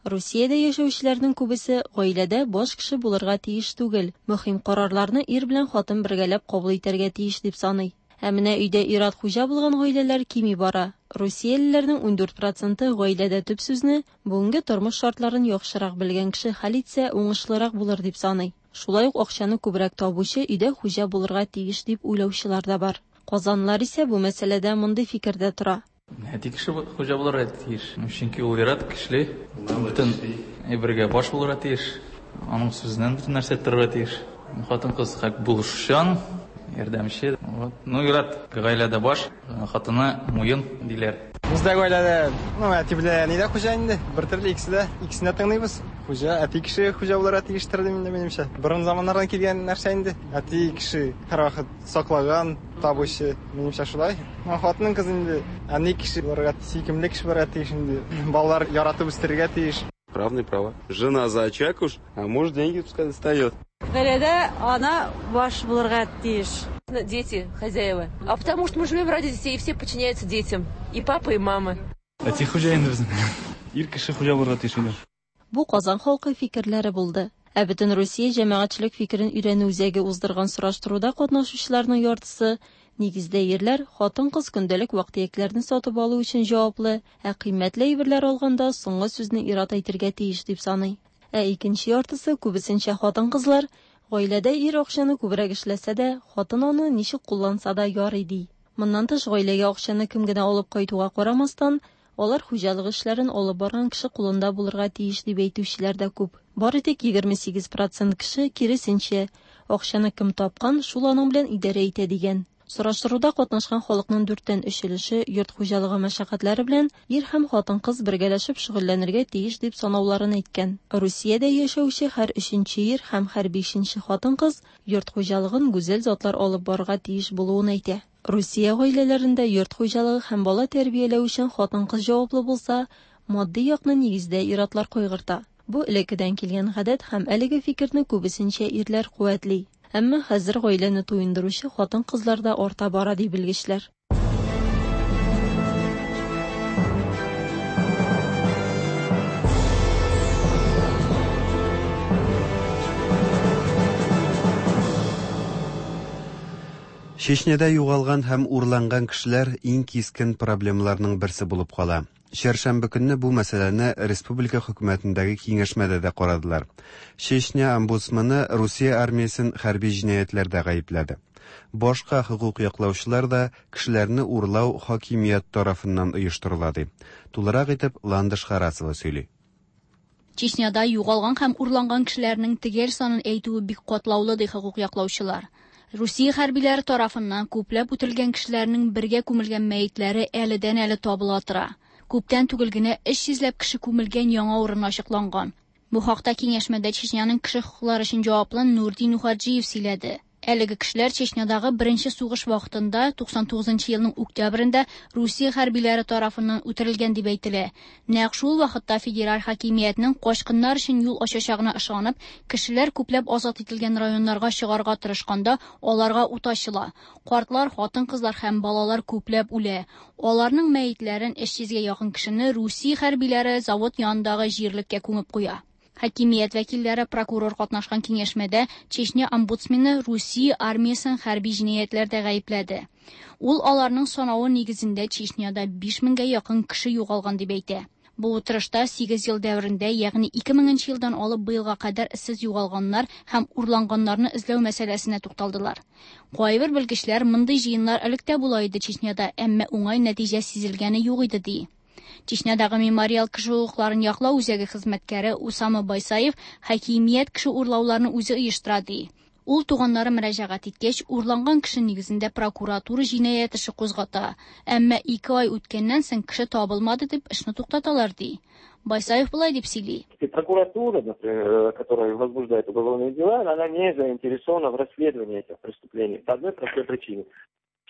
Русиядә яшәүчеләрнең күбесе гаиләдә баш кеше булырга тиеш түгел, мөһим карарларны ир белән хатын бергәләп кабул итәргә тиеш дип саный. Ә менә өйдә ир-ат хуҗа булган гаиләләр кими бара. Русиялеләрнең ундүрт проценты гаиләдә төп сүзне бүгенге тормыш шартларын яхшырак белгән кеше хәл итсә уңышлырак булыр дип саный. Шулай ук акчаны күбрәк табучы өйдә хуҗа булырга тиеш дип уйлаучылар да бар. Казанлылар исә бу мәсьәләдә мондый фикердә тора. Әти кеше хуҗа булырга тиеш. Чөнки ул ир-ат көчле, бөтен әйбергә баш булырга тиеш. Аның сүзеннән бөтен нәрсә торырга тиеш. Хатын-кыз хак булышучан, ярдәмче. Вот. Ну, ир-ат гаиләдә баш, хатыны муен диләр. Бездә гаиләдә, ну, әти белән әни дә хуҗа инде. Бер төрле икесе дә, икесен дә тыңлыйбыз. Хуҗа, әти кеше хуҗа булырга тиештер дим инде минемчә. Борын заманнардан килгән нәрсә инде. Әти кеше һәрвакыт саклаган, табучы, минемчә шулай. Хатының кыз инде әни кеше булырга, сөйкемле кеше булырга тиеш инде. Балалар яратып үстерергә тиеш. Равные права. Жена за очаг уж, а муж деньги пускай достает. Гаиләдә ана баш булырга тиеш. Дети, хозяева. А потому что мы живем ради детей, и все подчиняются детям. И папа, и мама. Әти хуҗа инде безнең. Ир кеше хуҗа булырга тиеш инде. Бу Казан халкы фикерләре булды. Ә бөтен Русия җәмәгатьчелек фикерен өйрәнү үзәге уздырган сораштыруда катнашучыларның яртысы нигездә ирләр, хатын-кыз көндәлек вак-төякләрне сатып алу өчен җаваплы, ә кыйммәтле әйберләр алганда соңгы сүзне ир-ат әйтергә тиеш дип саный. Ә икенче яртысы күбесенчә хатын-кызлар, гаиләдә ир акчаны күбрәк эшләсә дә, хатын аны ничек кулланса да ярый ди. Моннан тыш, гаиләгә акчаны кем генә алып кайтуга карамастан, алар хуҗалык эшләрен алып барган кеше кулында булырга тиеш дип әйтүчеләр дә күп. Бары тик егерме сигез процент кеше киресенчә, акчаны кем тапкан, шул аның белән идарә итә дигән. Сораштыруда катнашкан халыкның дүрттән өч өлеше йорт хуҗалыгы мәшәкатьләре белән ир һәм хатын-кыз бергәләшеп шөгыльләнергә тиеш дип санауларын әйткән. Русиядә яшәүче һәр өченче ир һәм һәр бишенче хатын-кыз йорт хуҗалыгын гүзәл затлар алып барырга тиеш булуын әйтә. Русия гаиләләрендә йорт хуҗалыгы һәм бала тәрбияләү өчен хатын-кыз җаваплы булса, матди якны нигездә ир-атлар кайгырта. Бу элеккедән килгән гадәт һәм әлеге фикерне күбесенчә ирләр куәтли. Әмма хәзер гаиләне туендыручы хатын-кызлар да арта бара ди белгечләр. Чечняда югалган һәм урланган кешеләр иң кискен проблемаларның берсе булып кала. Чәршәмбе көнне бу мәсьәләне республика хөкүмәтендәге киңәшмәдә дә карадылар. Чечня омбудсмены Русия армиясен хәрби җинаятьләрдә гаепләде. Башка хокук яклаучылар да кешеләрне урлау хакимият тарафыннан оештырыла ди. Тулырак итеп Ландыш Харасова сөйли. Чечняда югалган һәм урланган кешеләрнең төгәл санын әйтүе бик катлаулы ди хокук яклаучылар. Русия хәрбиләре тарафыннан күпләп үтерелгән кешеләрнең бергә күмелгән мәетләре әледән-әле табыла тора. Күптән түгел генә өч йөзләп кеше күмелгән яңа урын ачыкланган. Бу хакта киңәшмәдә Чечняның кеше хокуклары өчен җаваплы Нурдин Нухаджиев сөйләде. Әлеге кешеләр Чечнядагы беренче сугыш вакытында туксан тугызынчы елның октябрендә Русия хәрбиләре тарафыннан үтерелгән дип әйтелә. Нәкъ шул вакытта федераль хакимиятнең качкыннар өчен юл ачачагына ышанып, кешеләр күпләп азат ителгән районнарга чыгарга тырышканда аларга ут ачыла. Картлар, хатын-кызлар һәм балалар күпләп үлә. Аларның мәетләрен өч йөзгә якын кешене Русия хәрбиләре завод янындагы җирлеккә күмеп куя. Хакимият вәкилләре прокурор катнашкан киңәшмәдә Чечня омбудсмены Русия армиясен хәрби җинаятьләрдә гаепләде. Ул аларның санавы нигезендә Чечняда биш меңгә якын кеше югалган дип әйтә. Бу утырышта сигез ел дәверендә, ягъни ике меңенче елдан алып быелга кадәр эзсез югалганнар һәм урланганнарны эзләү мәсьәләсенә тукталдылар. Кайбер белгечләр мондый җыеннар элек тә була иде Чечняда, әмма уңай нәтиҗә сизелгәне юк иде ди. Чечнядагы мемориал кеше хокукларын яклау үзәге хезмәткәре Усама Байсаев хакимият кеше урлауларны үзе оештыра ди. Ул туганнары мөрәҗәгать иткәч, урланган кеше нигезендә прокуратура җинаять эше кузгата. Әмма ике ай үткәннән соң кеше табылмады дип эшне туктаталар ди. Байсаев болай дип сөйли. Прокуратура, например, которая возбуждает уголовные дела, она не заинтересована в расследовании этих преступлений по одной простой причине.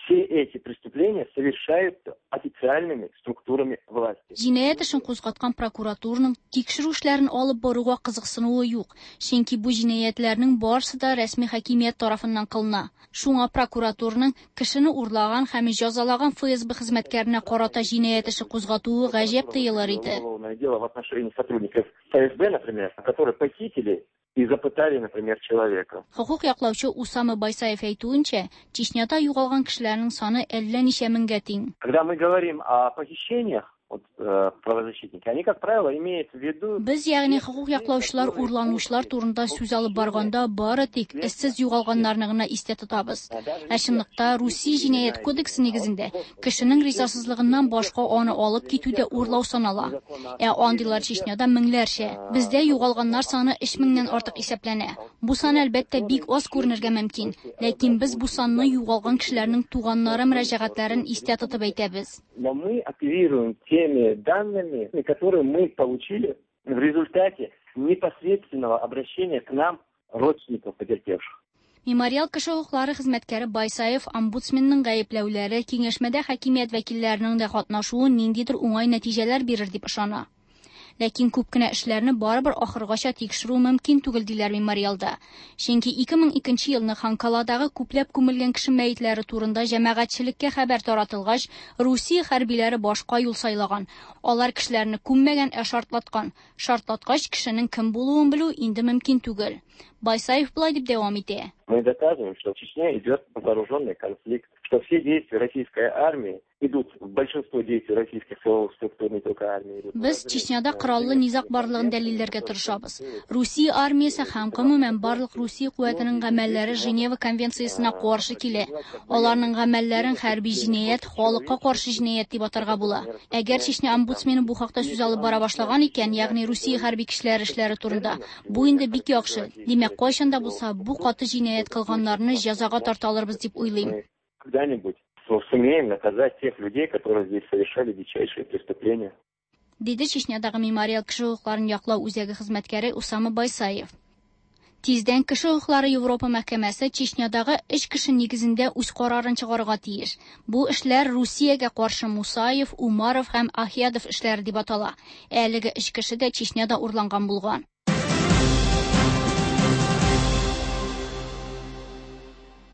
Все эти преступления совершаются официальными структурами власти. Җинаять эшен кузгаткан прокуратураның тикшерү эшләрен алып баруга кызыксынуы юк, чөнки бу җинаятьләрнең барысы да рәсми хакимият тарафыннан кылына. Шуңа прокуратураның кешене урлаган һәм җәзалаган Эф Эс Бэ хезмәткәренә карата җинаять эше кузгатуы гаҗәп тоелыр иде. Уголовное дело в отношении сотрудников Эф Эс Бэ, например, которые похитили и запытали, например, человека. Хокук яклаучы Усама Байсаев әйтүенчә, Чечняда югалган кешеләрнең саны әллә ничә меңгә тиң. Когда мы говорим о похищениях, вот, э, правозащитники, они, как правило, имеют в виду... Без, ягъни хокук яклаучылар урланучылар турында сүз алып барганда бары тик эзсез югалганнарны гына истә тотабыз. Ә чынлыкта Русия җинаять кодексы нигезендә кешенең ризасызлыгыннан башка аны алып китү дә урлау санала. Ә андыйлар Чечняда меңләрчә. Бездә югалганнар саны өч меңнән артык исәпләнә. Бу сан әлбәттә бик аз күренергә мөмкин, ләкин без бу санны югалган кешеләрнең туганнары мөрәҗәгатьләрен истә тотып әйтәбез. Но мы оперируем теми данными, которые мы получили в результате непосредственного обращения к нам родственников потерпевших. Мемориал кеше хокуклары хезмәткәре Байсаев омбудсменның гаепләүләре киңәшмәдә хакимият вәкилләренең дә катнашуы ниндидер уңай нәтиҗәләр бирер дип ышана. Ләкин күп кенә эшләрне барыбер ахыргача тикшерү мөмкин түгел диләр мемориалда. Чөнки ике мең икенче елны Ханкаладагы күпләп күмелгән кеше мәетләре турында җәмәгатьчелеккә хәбәр таратылгач, Русия хәрбиләре башка юл сайлаган. Алар кешеләрне күммәгән, ә шартлаткан. Шартлаткач кешенең кем булуын белү инде мөмкин түгел. Байсаев болай дип дәвам итә. Мы доказываем, что в Чечне идет вооруженный конфликт, что все действия российской армии Идут большинство действий российских силовых структур, не только армии. Без Чечняда кораллы низаг барлыгын дәлилләргә тырышабыз. Русия армиясе һәм гомумән барлык Русия куәтенең гамәлләре Женева конвенциясенә каршы килә. Аларның гамәлләрен хәрби җинаять, халыкка каршы җинаять дип атарга була. Әгәр Чечня омбудсмены бу хакта сүз алып бара башлаган икән, ягъни Русия хәрби көчләре эшләре турында, бу инде бик яхшы. Димәк, кайчан да булса бу каты җинаять кылганнарны җәзага тарта алырбыз дип уйлыйм. Когда-нибудь сумеем наказать тех людей, которые здесь совершали дичайшие преступления. Диде Чечнядагы мемориал кеше хокукларын яклау үзәге хезмәткәре Усама Байсаев. Тиздән кеше хокуклары Европа мәхкәмәсе Чечнядагы өч кеше нигезендә үз карарын чыгарырга тиеш. Бу эшләр Русиягә каршы Мусаев, Умаров һәм Ахиядов эшләре дип атала. Әлеге өч кеше дә Чечняда урланган булган.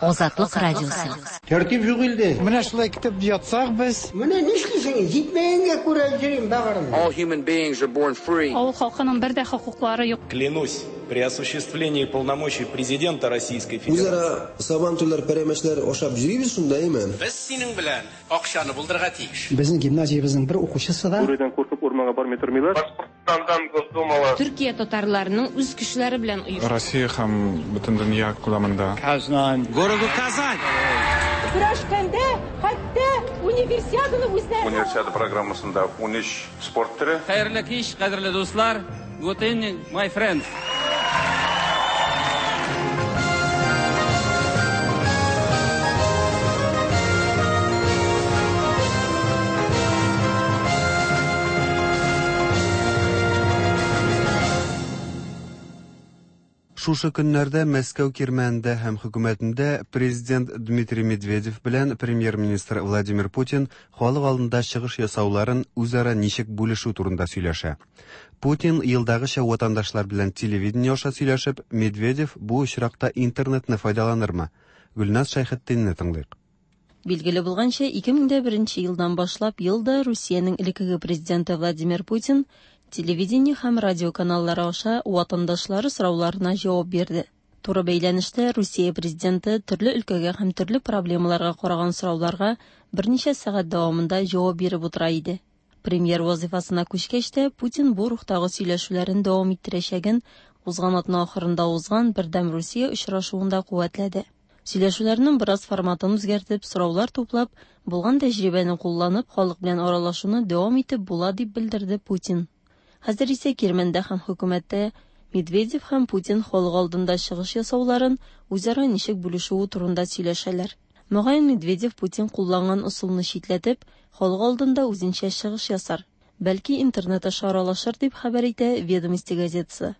Азатлык радиосы. Тәртип юк илдә. Менә шулай китеп ятсак без. Менә нишлисең? Җитмәгәнгә күрә йөрим багырым. All human beings are born free. Авыл халкының бер дә хокуклары юк. Клянусь при осуществлении полномочий президента Российской Федерации. Үзара сабантуйлар, пәрәмәчләр ашап йөрибез шунда, әйме? Без синең белән акчаны булдырырга тиеш. Безнең гимназиябезнең бер укучысы да Бүредән куркып урманга бармый тормыйлар. Башкортстандан Госдумалар. Төркия татарларының үз көчләре белән оештырды. Россия һәм бөтен дөнья күләмендә. Казан. Городу Казань. Көрәшкәндә хәтта универсиаданы үзләре. Универсиада программасында ун өч спорт төре. Хәерле кич, кадерле дуслар. Good evening, my friends. Шушы көннәрдә Мәскәү кирмәнендә һәм хөкүмәтендә президент Дмитрий Медведев белән премьер-министр Владимир Путин халык алдында чыгыш ясауларын үзара ничек бүлешү турында сөйләшә. Путин елдагыча ватандашлар белән телевидение аша сөйләшеп, Медведев бу очракта интернетны файдаланырмы? Гөлназ Шәйхетдинне тыңлыйк. Билгеле булганча, ике мең дә беренче елдан башлап елда Русиянең элеккеге президенты Владимир Путин телевидение һәм радио каналлары аша ватандашлары сорауларына җавап бирде. Туры бәйләнештә Русия президенты төрле өлкәгә һәм төрле проблемаларга караган сорауларга берничә сәгать дәвамында җавап биреп утыра иде. Премьер вазифасына күчкәч тә Путин бу рухтагы сөйләшүләрен дәвам иттерәчәген узган атна ахырында узган Бердәм Русия очрашуында куәтләде. Сөйләшүләрнең бераз форматын үзгәртеп, сораулар туплап, булган тәҗрибәне кулланып, халык белән аралашуны дәвам итеп була, дип белдерде Путин. Хәзер исә Кирмәндә һәм хөкүмәттә Медведев һәм Путин халык алдында чыгыш ясауларын үзара ничек бүлешүе турында сөйләшәләр. Мөгаен, Медведев Путин кулланган ысулны читләтеп, халык алдында үзенчә чыгыш ясар. Бәлки, интернет аша аралашыр, дип хәбәр итә «Ведомости» газетасы.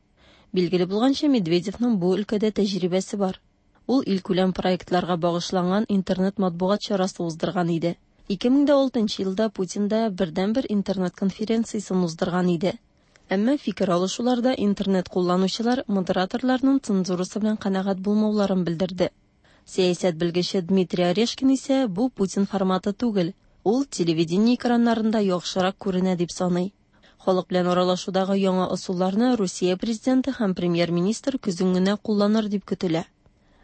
Билгеле булганча, Медведевның бу өлкәдә тәҗрибәсе бар. Ул илкүләм проектларга багышланган интернет матбугат чарасы уздырган иде. ике мең дә алтынчы елда Путин да бердәнбер интернет конференциясен уздырган иде. Әмма фикер алышуларда интернет кулланучылар модераторларның цензурасы белән канәгать булмауларын белдерде. Сәясәт белгече Дмитрий Орешкин исә бу Путин форматы түгел, ул телевидение экраннарында яхшырак күренә дип саный. Халык белән аралашудагы яңа ысулларны Русия президенты һәм премьер-министр көзен генә кулланыр дип көтелә.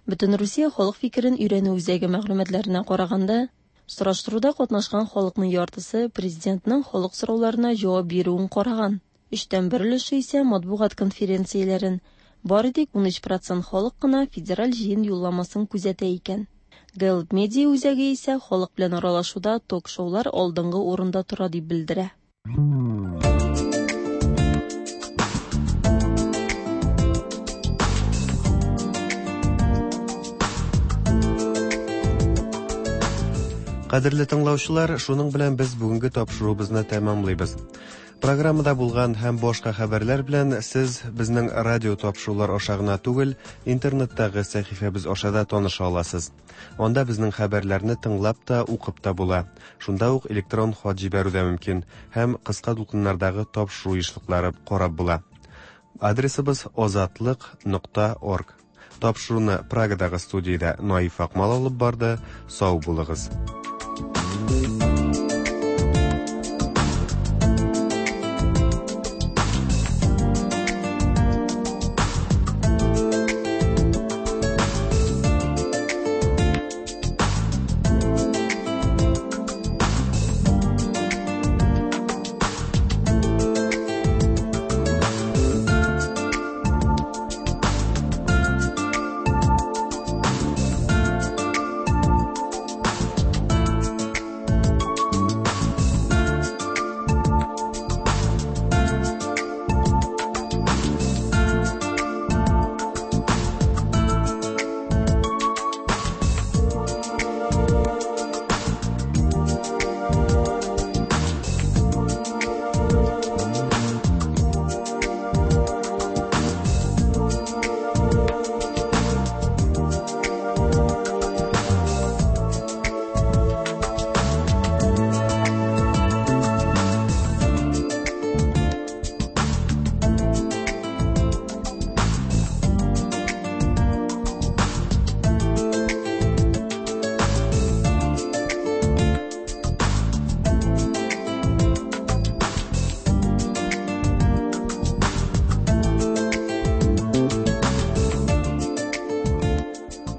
Бөтен Русия халык фикерен өйрәнү үзәге мәгълүматларына караганда, сораштыруда катнашкан халыкның яртысы президентның халык сорауларына җавап бирүен караган. Өчтән бер өлеше исә матбугат конференцияләрен, бары тик ун өч процент халык кына федераль җыен юлламасын күзәтә икән. Гэллап медиа үзәге исә халык белән аралашуда ток-шоулар алдынгы урында тора дип белдерә. Кадерле тыңлаучылар, шуның белән без бүгенге тапшыруыбызны тәмамлыйбыз. Программада булган һәм башка хәбәрләр белән сез безнең радио тапшырулар аша гына түгел, интернеттагы сәхифәбез аша да таныша аласыз. Анда безнең хәбәрләрне тыңлап та, укып та була. Шунда ук электрон хат җибәрү дә мөмкин һәм кыска дулкыннардагы тапшыру ешлыклары карап була. Адресыбыз озатлык нокта орг. Тапшыруны Прагадагы студиядә Наиф Акмал алып барды. Сау булыгыз.